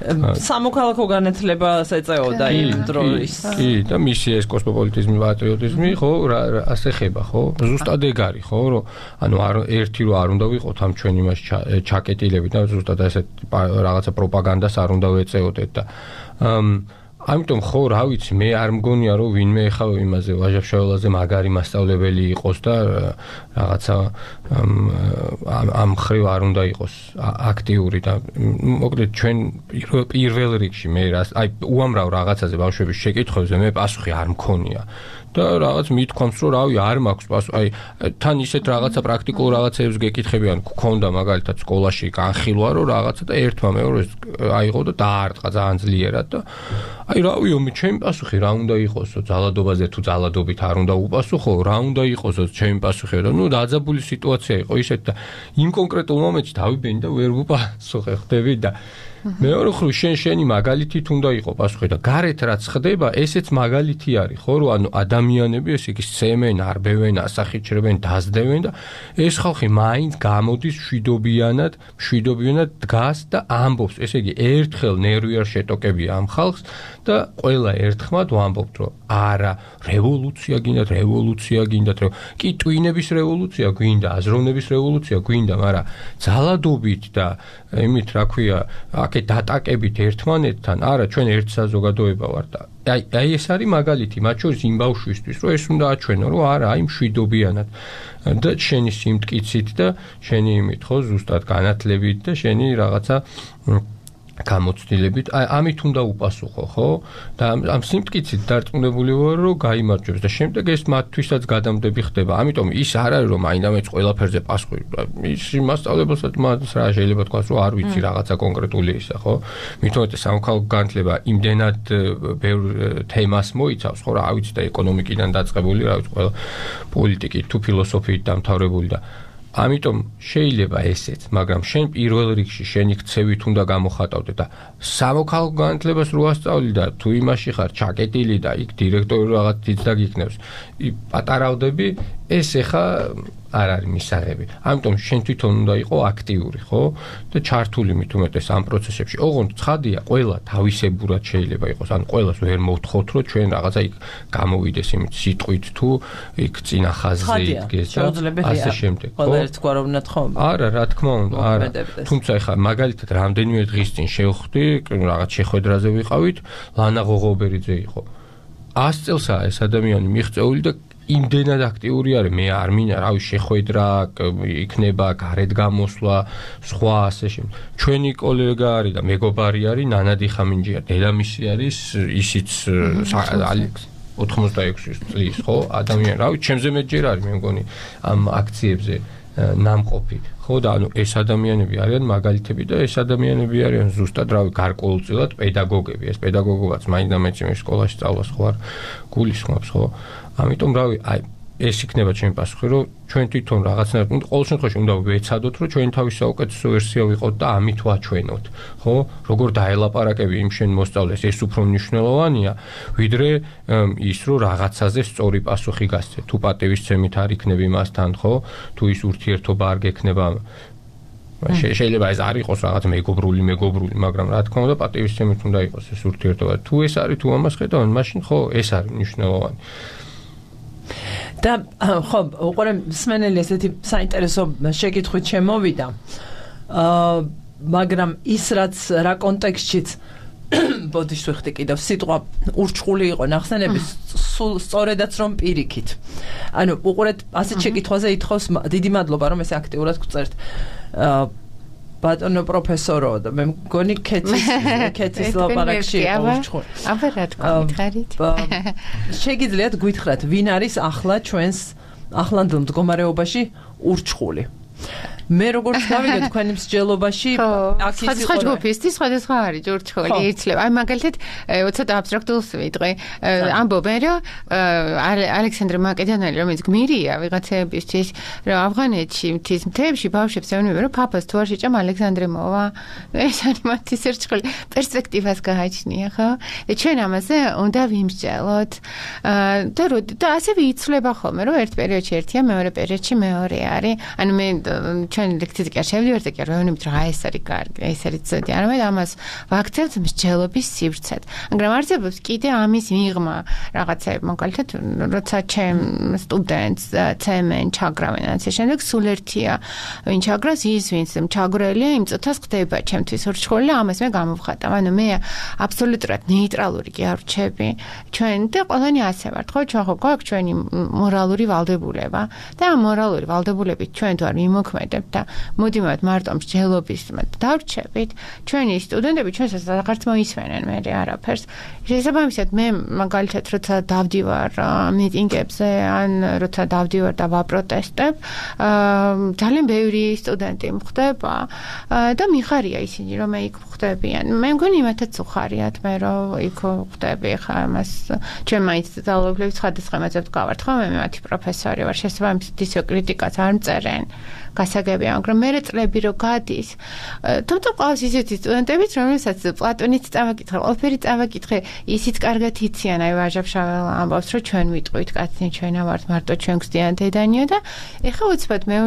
სამოქალაქო განათლებას ეწეოდა იმ დროის. კი, და მისი ეს კოსმოპოლიტიზმი, პატრიოტიზმი, ხო, ასე ხება, ხო? ზუსტად ეგ არის, ხო, რომ ანუ ერთი რომ არ უნდა ვიყოთ ამ ჩვენ იმას ჩაკეტილები და ზუსტად ესეთ რაღაცა პროპაგანდას არ უნდა ვეწეოდეთ და ამიტომ ხო რა ვიცი მე არ მგონია რომ ვინმე ეხავ იმაზე ვაჟებშაველაზე მაგარი მასწავლებელი იყოს და რაღაცა ამ ხრივ არ უნდა იყოს აქტიური და მოკლედ ჩვენ პირველ რიგში მე აი უამრავ რაღაცაზე ბავშვების შეკითხვებზე მე პასუხი არ მქონია და რაღაც მithქვამს რომ რავი არ მაქვს პასუხი აი თან ისეთ რაღაცა პრაქტიკულ რაღაცებს გეკითხებიან გქონდა მაგალითად სკოლაში განხილვა რომ რაღაცა და ერთმა მეორეს აიღო და დაარტყა ძალიან ძლიერად და აი რავი ომი ჩემი პასუხი რა უნდა იყოსო ძალადობაზე თუ ძალადობით არ უნდა უპასუხო რა უნდა იყოსო ჩემი პასუხი და ნუ დაძაბული სიტუაცია იყო ისეთ და იმ კონკრეტულ მომენტში დავიბენი და ვერ ვუპასუხე ხდები და მეორე ხრივ შენი მაგალითით უნდა იყო პასუხი და გარეთ რაც ხდება ესეც მაგალითი არის ხო რომ ანუ ადამიანები ესე იგი სცემენ არბევენ ასახიჩრებენ დაზდევენ და ეს ხალხი მაინც გამოდის მშვიდობიანად დგას და ამბობს ესე იგი ერთხელ ნერვი არ შეტოკებია ამ ხალხს და ყველა ერთხმად ვამბობთ რომ არა რევოლუცია გინდათ კი ტვინების რევოლუცია გვინდა აზროვნების რევოლუცია გვინდა მაგრამ ძალადობით და იმით რა ქვია აქეთ დატაკებით ერთმანეთთან არა ჩვენ ერთ საზოგადოება ვართ და აი ეს არის მაგალითი მათ შორის იმ ბავშვისთვის რომ ეს უნდა აჩვენო რომ არა აი მშვიდობიანად და შენი სიმტკიცით და შენი იმით ხო ზუსტად განათლებით და შენი რაღაცა გამოცდილებით ამით უნდა უპასუხო ხო და ამ სიმტკიცით დარწმუნებული ვარ რომ გაიმარჯვებს და შემდეგ ეს მათთვისაც გადამდები ხდება ამიტომ ის არ არის რომ აინდამეც ყველაფერზე პასუხი ის მასწავლებელსაც მას რა შეიძლება თქვას რომ არ ვიცი რაღაცა კონკრეტული ისა ხო მithomete სამოქალაქო განათლება იმდენად ბევრ თემას მოიცავს ხო რა ვიცი და ეკონომიკიდან დაწყებული რა ვიცი ყველა პოლიტიკით თუ ფილოსოფიით დამთავრებული და ამიტომ შეიძლება ესეც, მაგრამ შენ პირველ რიგში შენი ქცევით უნდა გამოხატავდე და სამოქალაქო განათლებას რო ასწავლი და თუ იმაში ხარ ჩაკეტილი და იქ დირექტორი რაღაც თიც დაგიქნევს, პატარავდები, ეს ეხა არ არის მისაღები. ამიტომ შენ თვითონ უნდა იყო აქტიური, ხო? და ჩართული მით უმეტეს ამ პროცესებში. ოღონდ ცხადია, ყველა თავისებურად შეიძლება იყოს. ან ყველას ვერ მოვთხოვთ, რომ ჩვენ რაღაცა იქ გამოვიდეს იმით სიტყვით თუ იქ წინა ხაზზე იდგეს და ასე შემდეგ. ყველა ერთგვარად უნდა თხოვო. არა, რა თქმა უნდა, არა. თუმცა ეხლა მაგალითად რამდენიმე დღის წინ შევხვდი, რაღაც შეხვედრაზე ვიყავით, ლანა ღოღობერიძე იყო. 100 წელსაა ეს ადამიანი მიღწეული და იმდენად აქტიური არის, მე არ მინდა, რავი, შეხვედრა იქნება, გარეთ გამოსვლა, სხვა ასე შემდეგ. ჩვენი კოლეგა არის და მეგობარი არის ნანადი ხამინჯია, დედამისი არის, ისიც 86 წლის, ხო, ადამიანი, რავი, ჩემზე მეტჯერ არის, მე მგონი, ამ აქციებზე ნამყოფი. ხო და ანუ ეს ადამიანები არიან მაგალითები და ეს ადამიანები არიან ზუსტად რავი გარკვეულწილად პედაგოგები. ეს პედაგოგობაც მაინდა-მაინც სკოლაში სწავლას ხო არ გულისხმობს, ხო? ამიტომ რავი, აი ეს იქნება ჩემი პასუხი, რომ ჩვენ თვითონ რაღაცნაირად ყოველ შემთხვევაში უნდა ვეცადოთ, რომ ჩვენი თავის საუკეთესო ვერსია ვიყოთ და ამით ვაჩვენოთ, ხო? როგორ დაელაპარაკები იმ შენ მოსწავლეს, ეს უფრო მნიშვნელოვანია, ვიდრე ის, რომ რაღაცაზე სწორი პასუხი გასცე. თუ პატივისცემით არ იქნები მასთან, ხო? თუ ის ურთიერთობა არ გექნება, შეიძლება ეს არ იყოს რაღაც მეგობრული, მაგრამ რა თქმა უნდა პატივისცემით უნდა იყოს ეს ურთიერთობა. თუ ეს არის, თუ ამას ხედავენ, მაშინ ხო ეს არის მნიშვნელოვანი. და ხო, უყურე მსმენელი ესეთი საინტერესო შეკითხვით შემოვიდა. მაგრამ ის რაც რა კონტექსტშიც ბოდიშ ვიხდი კიდევ სიტყვა ურჩხული იყო ნახსენების სულ სწორედაც რომ პირიქით. ანუ უყურეთ ასეთ შეკითხვაზე ითხოვს დიდი მადლობა რომ ესე აქტიურად გწერთ. ბატონო პროფესორო და მე მგონი კეთის ლაპარაკში ურჩხული. აბა რა თქმა მითხარით. შეგიძლიათ გვითხრათ ვინ არის ახლა ჩვენს ახლანდელ მდგომარეობაში ურჩხული? მე როგორც გავიგე თქვენი მსჯელობაში აქ ის სხვა ჯგუფისთვის სხვადასხვა არის ურჩხული იცლება. აი მაგალითად ცოტა აბსტრაქტულს ვიტყვი. ამბობენ რომ ალექსანდრე მაკედონელი რომელიც გმირია ვიღაცებისთვის რომ ავღანეთში მთის მთებში ბავშვებს ეუბნებიან რომ ფაფას თუ არ შეჭამ ალექსანდრე მოვა. ეს არის მათი ურჩხული პერსპექტივას გააჩნია ხო? და ჩვენ ამაზე უნდა ვიმსჯელოთ. და ასე ვიცლება ხოლმე რომ ერთ პერიოდში ერთია მეორე პერიოდში მეორე არის. ანუ მე ჩვენ ლექციაზე კი არ შევდივართ და კი არ ვეუბნებით რა ეს არის კარგი, ეს არის ცოდი. არამედ ამას ვაქცევთ მსჯელობის სივრცეთ. მაგრამ არსებობს კიდე ამის მიღმა რაღაცები, მაგალითად, როცა ჩემ სტუდენტს ცემენ, ჩაგრავენ ასე შემდეგ, სულ ერთია, ვინ ჩაგრავს, ის ვინც ჩაგვრელია, იმ წუთას ხდება ჩემთვის ურჩხული და ამას მე გამოვხატავ. ანუ მე აბსოლუტურად ნეიტრალური კი არ ვრჩები. ჩვენ და ყველანი ასე ვართ, ხო? ჩვენ ხო გვაქვს ჩვენი მორალური ვალდებულება და ამ მორალური ვალდებულებით ჩვენ თუ არ მიმოქმედებთ და მოდიმავთ მარტო მსჯელობის დავრჩებით, ჩვენი სტუდენტები ჩვენსაც აღარც მოისმენენ მე არაფერს. შესაბამისად მე მაგალითად როცა დავდივარ მიტინგებზე ან როცა დავდივარ და ვაპროტესტებ, ძალიან ბევრი სტუდენტი მხვდება და მიხარია ისინი რომ მე იქ მხვდებიან. მე მგონი იმათაც უხარიათ მე რომ იქ ხვდები ხა ამას ჩვენ მაინც ძალოვლებს სხვადასხვა მეზობთ გავართ ხო მე მათი პროფესორი ვარ შესაბამისად ისე კრიტიკას არ მწერენ გასაგებია, მაგრამ მე წლები რო გადის, თუმცა ყავს ისეთი სტუდენტებიც, რომელსაც პლატონიც წავაკითხე, ყველაფერი წავაკითხე, ისიც კარგად იციან, აი ვაჟა-ფშაველა ამბობს, რომ ჩვენ ვიტყვით კაცნი, ჩვენა ვართ მარტო ჩვენ გვსდიან დედანიო და ეხლა უცბად მე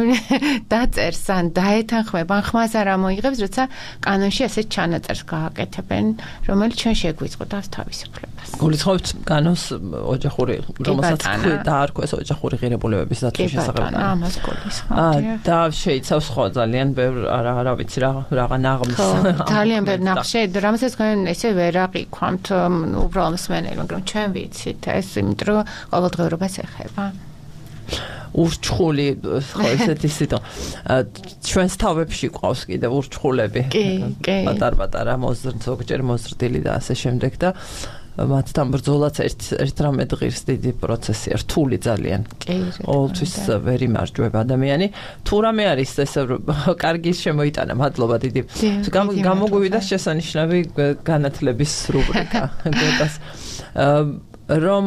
დაწერს ან დაეთანხმება, ან ხმას არ ამოიღებს, როცა კანონში ასეთ ჩანაწერს გააკეთებენ, რომელიც ჩვენ შეგვიწყდავს თავისუფლებას. გულისხმობთ კანონს ოჯახური, რომელსაც დაარქვეს ოჯახური ღირებულებების დაცვის შესახებ. ამას გულისხმობთ. და შეიცავს ხო ძალიან ბევრ არა ვიცი რაღა ნაღმს ძალიან ბევრ ნაღმს რამასაც თქვენ ესე ვერ აყიქვამთ უბრალოდ მსმენელი მაგრამ ჩვენ ვიცით ეს იმიტომ რომ ყოველდღიურობას ეხება ურჩხული ხო ესეთი სიტყვა ჩვენს თავებში ყავს კიდე ურჩხულები პატარ-პატარა ზოგჯერ მოზრდილი და ასე შემდეგ და მათთან ბრძოლაც ერთ რამე დღის დიდი პროცესია, რთული ძალიან. ყოველთვის ვერ იმარჯვება ადამიანი. თუ რამე არის ესე კარგი შემოიტანა, მადლობა დიდი. გამოგვივიდა შესანიშნავი განათლების რუბრიკა. რომ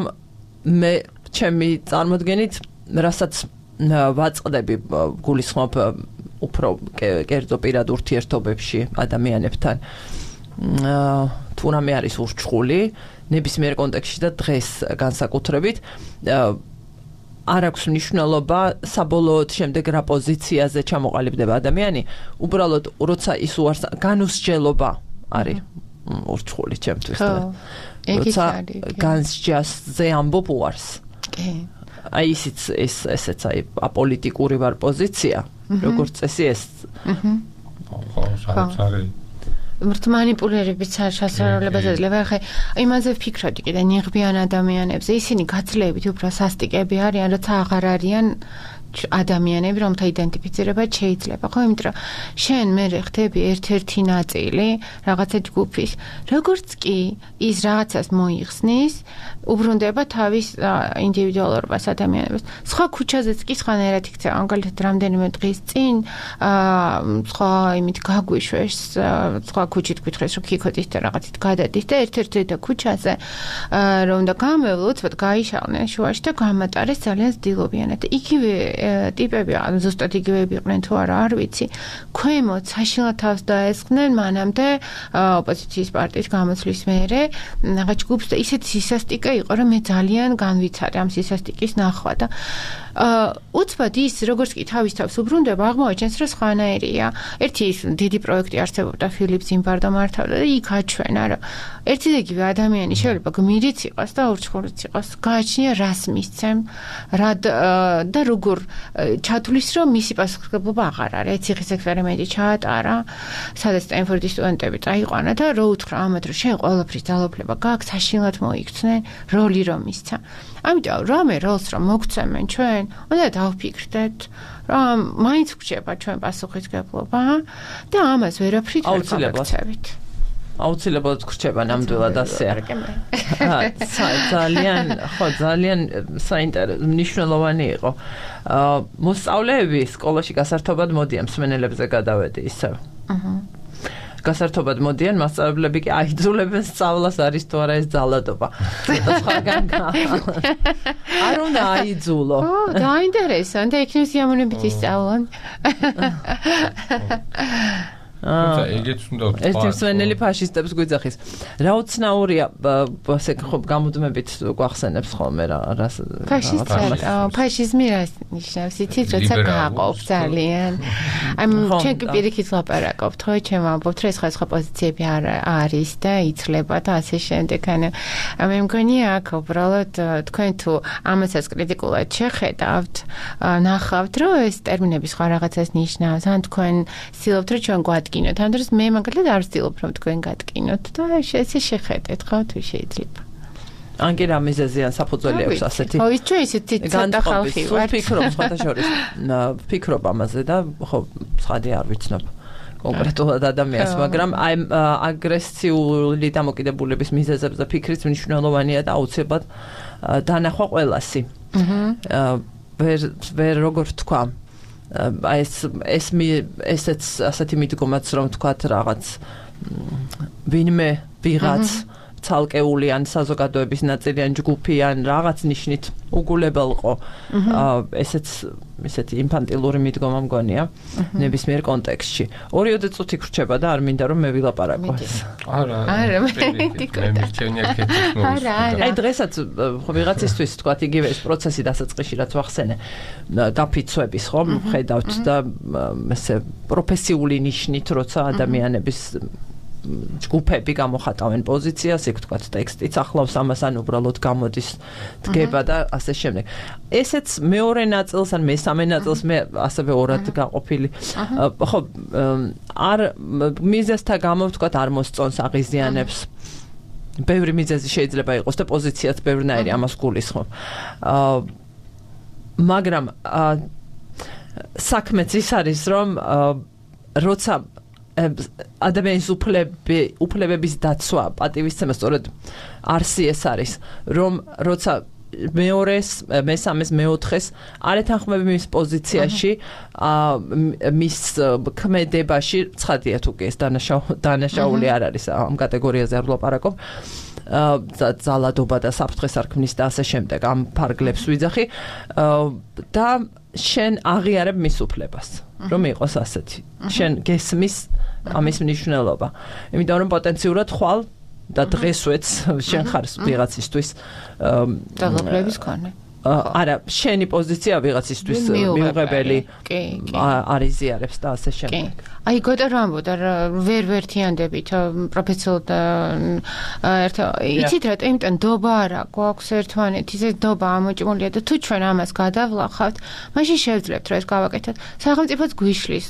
მე ჩემი წარმოდგენით, რასაც ვაწყდები გულისხმობ უფრო კერძო პირად ურთიერთობებში ადამიანებთან. თუ რამე არის ურჩხული ნებისმიერ კონტექსტში და დღეს განსაკუთრებით არ აქვს მნიშვნელობა საბოლოოდ შემდეგ რა პოზიციაზე ჩამოყალიბდება ადამიანი, უბრალოდ როცა ის უარს განუსჯელობა არის ურჩხული ჩემთვის. როცა განსჯასზე ამბობ უარს. კი. აი ისიც ესეც აი აპოლიტიკური ვარ პოზიცია, როგორც წესი ეს. საერთოდ მანიპულირებიც შესაძლებლობა ეძლევა. ხე იმაზე ვფიქრობდი კიდე ნიღბიან ადამიანებზე, ისინი გაძლევით უფრო სასტიკები არიან, როცა აღარ არიან ადამიანები, რომთა იდენტიფიცირება შეიძლება, ხო, იმიტომ რომ შენ მე ხდები ერთ-ერთი ნაწილი რაღაცა ჯგუფის, როგორც კი ის რაღაცას მოიხსნის, უბრუნდება თავის ინდივიდუალურობას ადამიანებს. სხვა ქუჩაზეც კი სხვანაირად იქცევა, მაგალითად რამდენიმე დღის წინ სხვა იმით გაგვიშვეს, სხვა ქუჩით გითხრეს, რომ ქიქოთის და რაღაცით გადადის და ერთ-ერთი ქუჩაზე რომ და გამევლო, უცბად გაიშალნენ შუაში და გამატარეს ძალიან ძილობიანად. იგივე ტიპები, ზუსტად იგივეები იყვნენ თუ არა, არ ვიცი. ქვემოთ საშინლად თავს დაესხნენ მანამდე ოპოზიციის პარტიის გამოცვლის მერე რაღაც ჯგუფს და ისეთი სისასტიკე იყო, რომ მე ძალიან განვიცადე ამ სისასტიკის ნახვა და უცბად ის როგორც კი თავის თავს უბრუნდება, აღმოაჩენს, რომ სხვანაირია. ერთი ის დიდი პროექტი არსებობდა, ფილიპ ზიმბარდო მართავდა და იქ აჩვენა, რომ ერთი და იგივე ადამიანი შეიძლება გმირიც იყოს და ურჩხულიც იყოს. გააჩნია რას მისცემ, და როგორ ჩათვლის, რომ მისი პასუხისმგებლობა აღარ არის. ციხის ექსპერიმენტი ჩაატარა, სადაც სტენფორდის სტუდენტები წაიყვანა და რო უთხრა ამათ, რომ შენ ყველაფრის ძალაუფლება გაქვს, საშინლად მოიქცნენ, როლი რომ მისცა. ამიტომ რამე როლს რომ მოგცემენ ჩვენ, უნდა დავფიქრდეთ, რომ მაინც გრჩება ჩვენ პასუხისმგებლობა და ამას ვერაფრით ვერ გავაქცევით. აუცილებლად გრჩება ნამდვილად ასეა. ძალიან საინტერესო მნიშვნელოვანი იყო. მოსწავლეები სკოლაში გასართობად მოდიან, მსმენელებზე გადავედი ისევ. გასართობად მოდიან, მასწავლებლები კი აიძულებენ სწავლას, არის თუ არა ეს ძალადობა. არ უნდა აიძულო. დაინტერესონ და იქნებ სიამოვნებით ისწავლონ. ეგეც უნდა ვთქვა. ერთი მსმენელი ფაშისტებს გვიძახის. რა უცნაურია, ასე ხო გამუდმებით გვახსენებს ხოლმე რას ფაშიზმი რას ნიშნავს? იცით, როცა გააყოფ ძალიან. აი ჩვენ კი პირიქით ლაპარაკობთ, ხო, ჩემ ამბობთ, რომ ეს სხვა პოზიციები არის და იცლება და ასე შემდეგ. მე მგონია აქ უბრალოდ თქვენ თუ ამასაც კრიტიკულად შეხედავთ, ნახავთ, რომ ეს ტერმინები სხვა რაღაცას ნიშნავს, ან თქვენ ცდილობთ, რომ ჩვენ გვადგინოთ, ამ დროს მე მაგალითად არ ვცდილობ, რომ თქვენ გადგინოთ და ესე შეხედეთ, ხო, თუ შეიძლება. ან კი რა მიზეზიან საფუძველი აქვს ასეთი. ხო, ის ჩვენ ისეთი ცოტა ხალხი ვართ. ვფიქრობ სხვათაშორის, ვფიქრობ ამაზე და ხო, ცხადი არ ვიცნობ კონკრეტულად ადამიანს, მაგრამ აი აგრესიული დამოკიდებულების მიზეზებზე ფიქრიც მნიშვნელოვანია და აუცილებლად დანახვა ყველასი. ვერ როგორ თქვა, აი ესეც ასეთი მიდგომაც რომ თქვათ რაღაც ვინმე ვიღაც ცალკეული ან საზოგადოების ნაწილი ან ჯგუფი ან რაღაც ნიშნით უგულებელყო. ესეთი ინფანტილური მიდგომა მგონია ნებისმიერ კონტექსტში. 2 წუთი გრჩება და არ მინდა რომ მე ვილაპარაკო ეს. არა, მე მირჩენია კეთილს არა. აი დღესაც ხო ვიღაცისთვის თქვათ იგივე ეს პროცესი დასაწყისში რაც ვახსენე გაფიცვების ხო ხედავთ და ესე პროფესიული ნიშნით როცა ადამიანების ჯგუფები გამოხატავენ პოზიციას, იქ თქვათ ტექსტიც ახლავს ამას, ან უბრალოდ გამოდის დგება და ასე შემდეგ. ესეც მეორე ნაწილს ან მესამე ნაწილს მე ასევე ორად გაყოფილი. ხო, არ მიზეზთა გამო ვთქვათ არ მოსწონს, აღიზიანებს. ბევრი მიზეზი შეიძლება იყოს და პოზიციაც ბევრნაირი ამას გულისხმობ. მაგრამ საქმეც ის არის, რომ როცა ადამიანის უფლებების დაცვა, პატივისცემა სწორედ არსი ეს არის, რომ როცა მეორეს, მესამეს, მეოთხეს არ ეთანხმები მის პოზიციაში, მის ქმედებაში, ცხადია თუ კი ეს დანაშაული არ არის ამ კატეგორიაზე არ ვლაპარაკობ. ძალადობა და საფრთხეს არ ქმნის და ასე შემდეგ ამ ფარგლებს ვიძახი და შენ აღიარებ მის უფლებას რომ იყოს ასეთი შენ გესმის ამის მნიშვნელობა იმიტომ რომ პოტენციურად ხვალ და დღესვეც შენ ხარ ვიღაცისთვის ძალაუფლების მქონე არა, შენი პოზიცია ვიღაცისთვის მიუღებელი არის ზიარებს და ასე შემდეგ. აი გოთა რა ამბობდა ვერ თიანდებით პროფესიულ იცით რა იმიტომ დობა არა გვაქვს ერთმანეთის ეს დობა ამოჭმულია და თუ ჩვენ ამას გადავლახავთ მაშინ შევძლებთ რომ ეს გავაკეთოთ სახელმწიფოც გვიშლის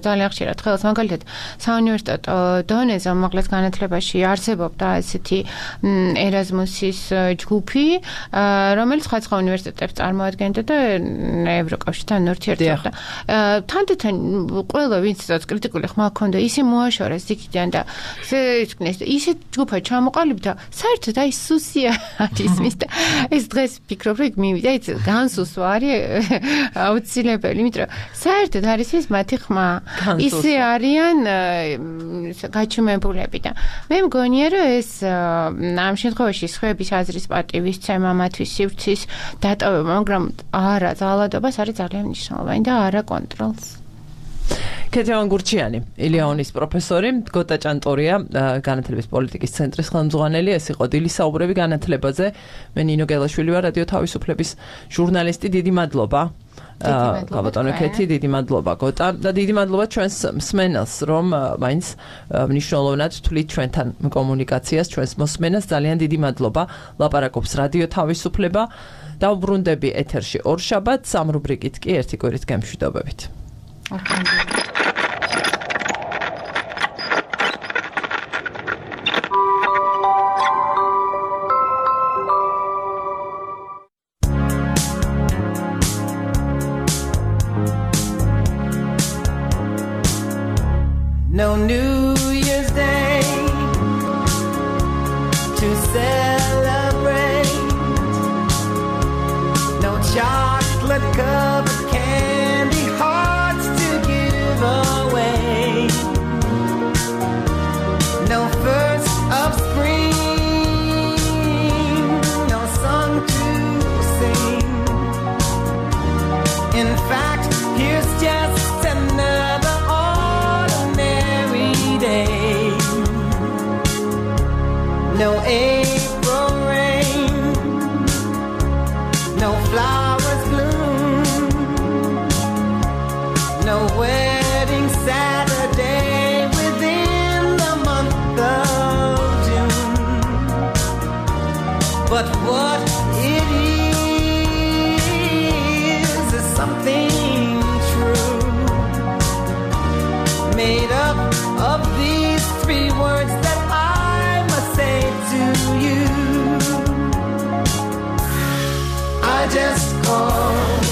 ძალიან ხშირად ხელს მაგალითად საუნივერსიტეტო დონეზე უმაღლეს განათლებაში არსებობდა ესეთი ერაზმუსის ჯგუფი რომელიც სხვა უნივერსიტეტებს წარმოადგენდა და ევროკავშირთან ურთიერთობდა თანდათან ყველა ვინც კრიტიკული ხმა ჰქონდა ისე მოაშორეს იქიდან და ისე ჯგუფად ჩამოყალიბდა საერთოდ აი სუსია არის მის და ეს დღეს ფიქრობ რომ მივიდა იცი განსუსვა არის აუცილებელი იმიტომ რომ საერთოდ არის ეს მათი ხმა ისე არიან გაჩუმებულები და მე მგონია რომ ეს ამ შემთხვევაში სხვების აზრის პატივისცემა მათთვის სივრცის დატოვება მაგრამ არა ძალადობას არის ძალიან მნიშვნელოვანი და არა კონტროლს კეთევან გურჩიანი, ილეონის პროფესორი, გოტა ჭანტორია, განათლების პოლიტიკის ცენტრის ხელმძღვანელი, ეს იყო დილის საუბრები განათლებაზე. მე ნინო გელაშვილი ვარ, რადიო თავისუფლების ჟურნალისტი, დიდი მადლობა. გაბატონო კეთი, დიდი მადლობა გოტა და დიდი მადლობა ჩვენს მსმენელს, რომ მაინც მნიშვნელოვნად თვლით ჩვენთან კომუნიკაციას, ჩვენს მოსმენას, ძალიან დიდი მადლობა. ლაპარაკობს რადიო თავისუფლება. დავბრუნდები ეთერში ორშაბათს, ამ რუბრიკით კი ერთი კვირით გემშვიდობებით. No New Year's Day to celebrate. No chocolate covered candy hearts to give away. No first of spring, no song to sing. In fact, here's just another day. No April rain, no flowers bloom, no wedding Saturday within the month of June. But what it is something true, made up of these three words that I must say to you. I just called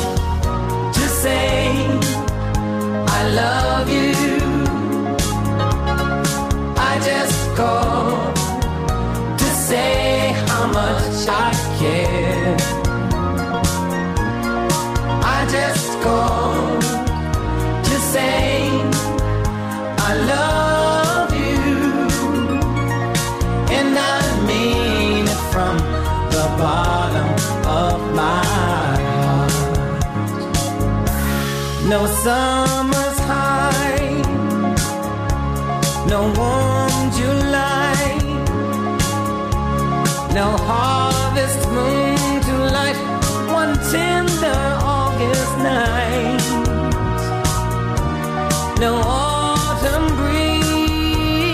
to say I love you. I just called to say how much I care. I just called to say I love you, and I mean it from the bottom of my heart. No summer's high, no warm July, no harvest moon to light one tender August night, no autumn breeze,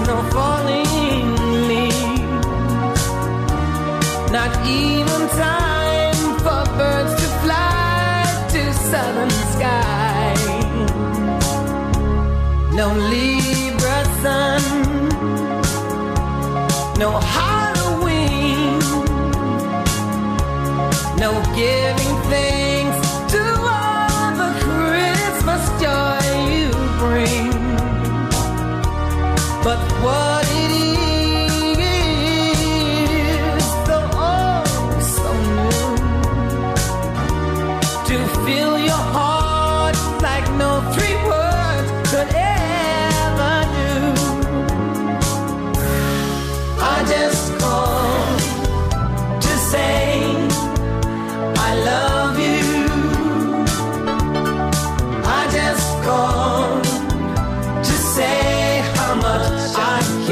no falling leaves, not even time for birds to fly to southern sky. No Libra sun, no Halloween, no giving thanks to all the Christmas joy you bring. But what it is, so oh so new, to fill your heart like no three words could ever do. I just called to say I love you. I just called to say how much I care.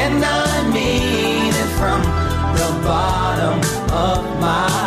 and I mean it from the bottom of my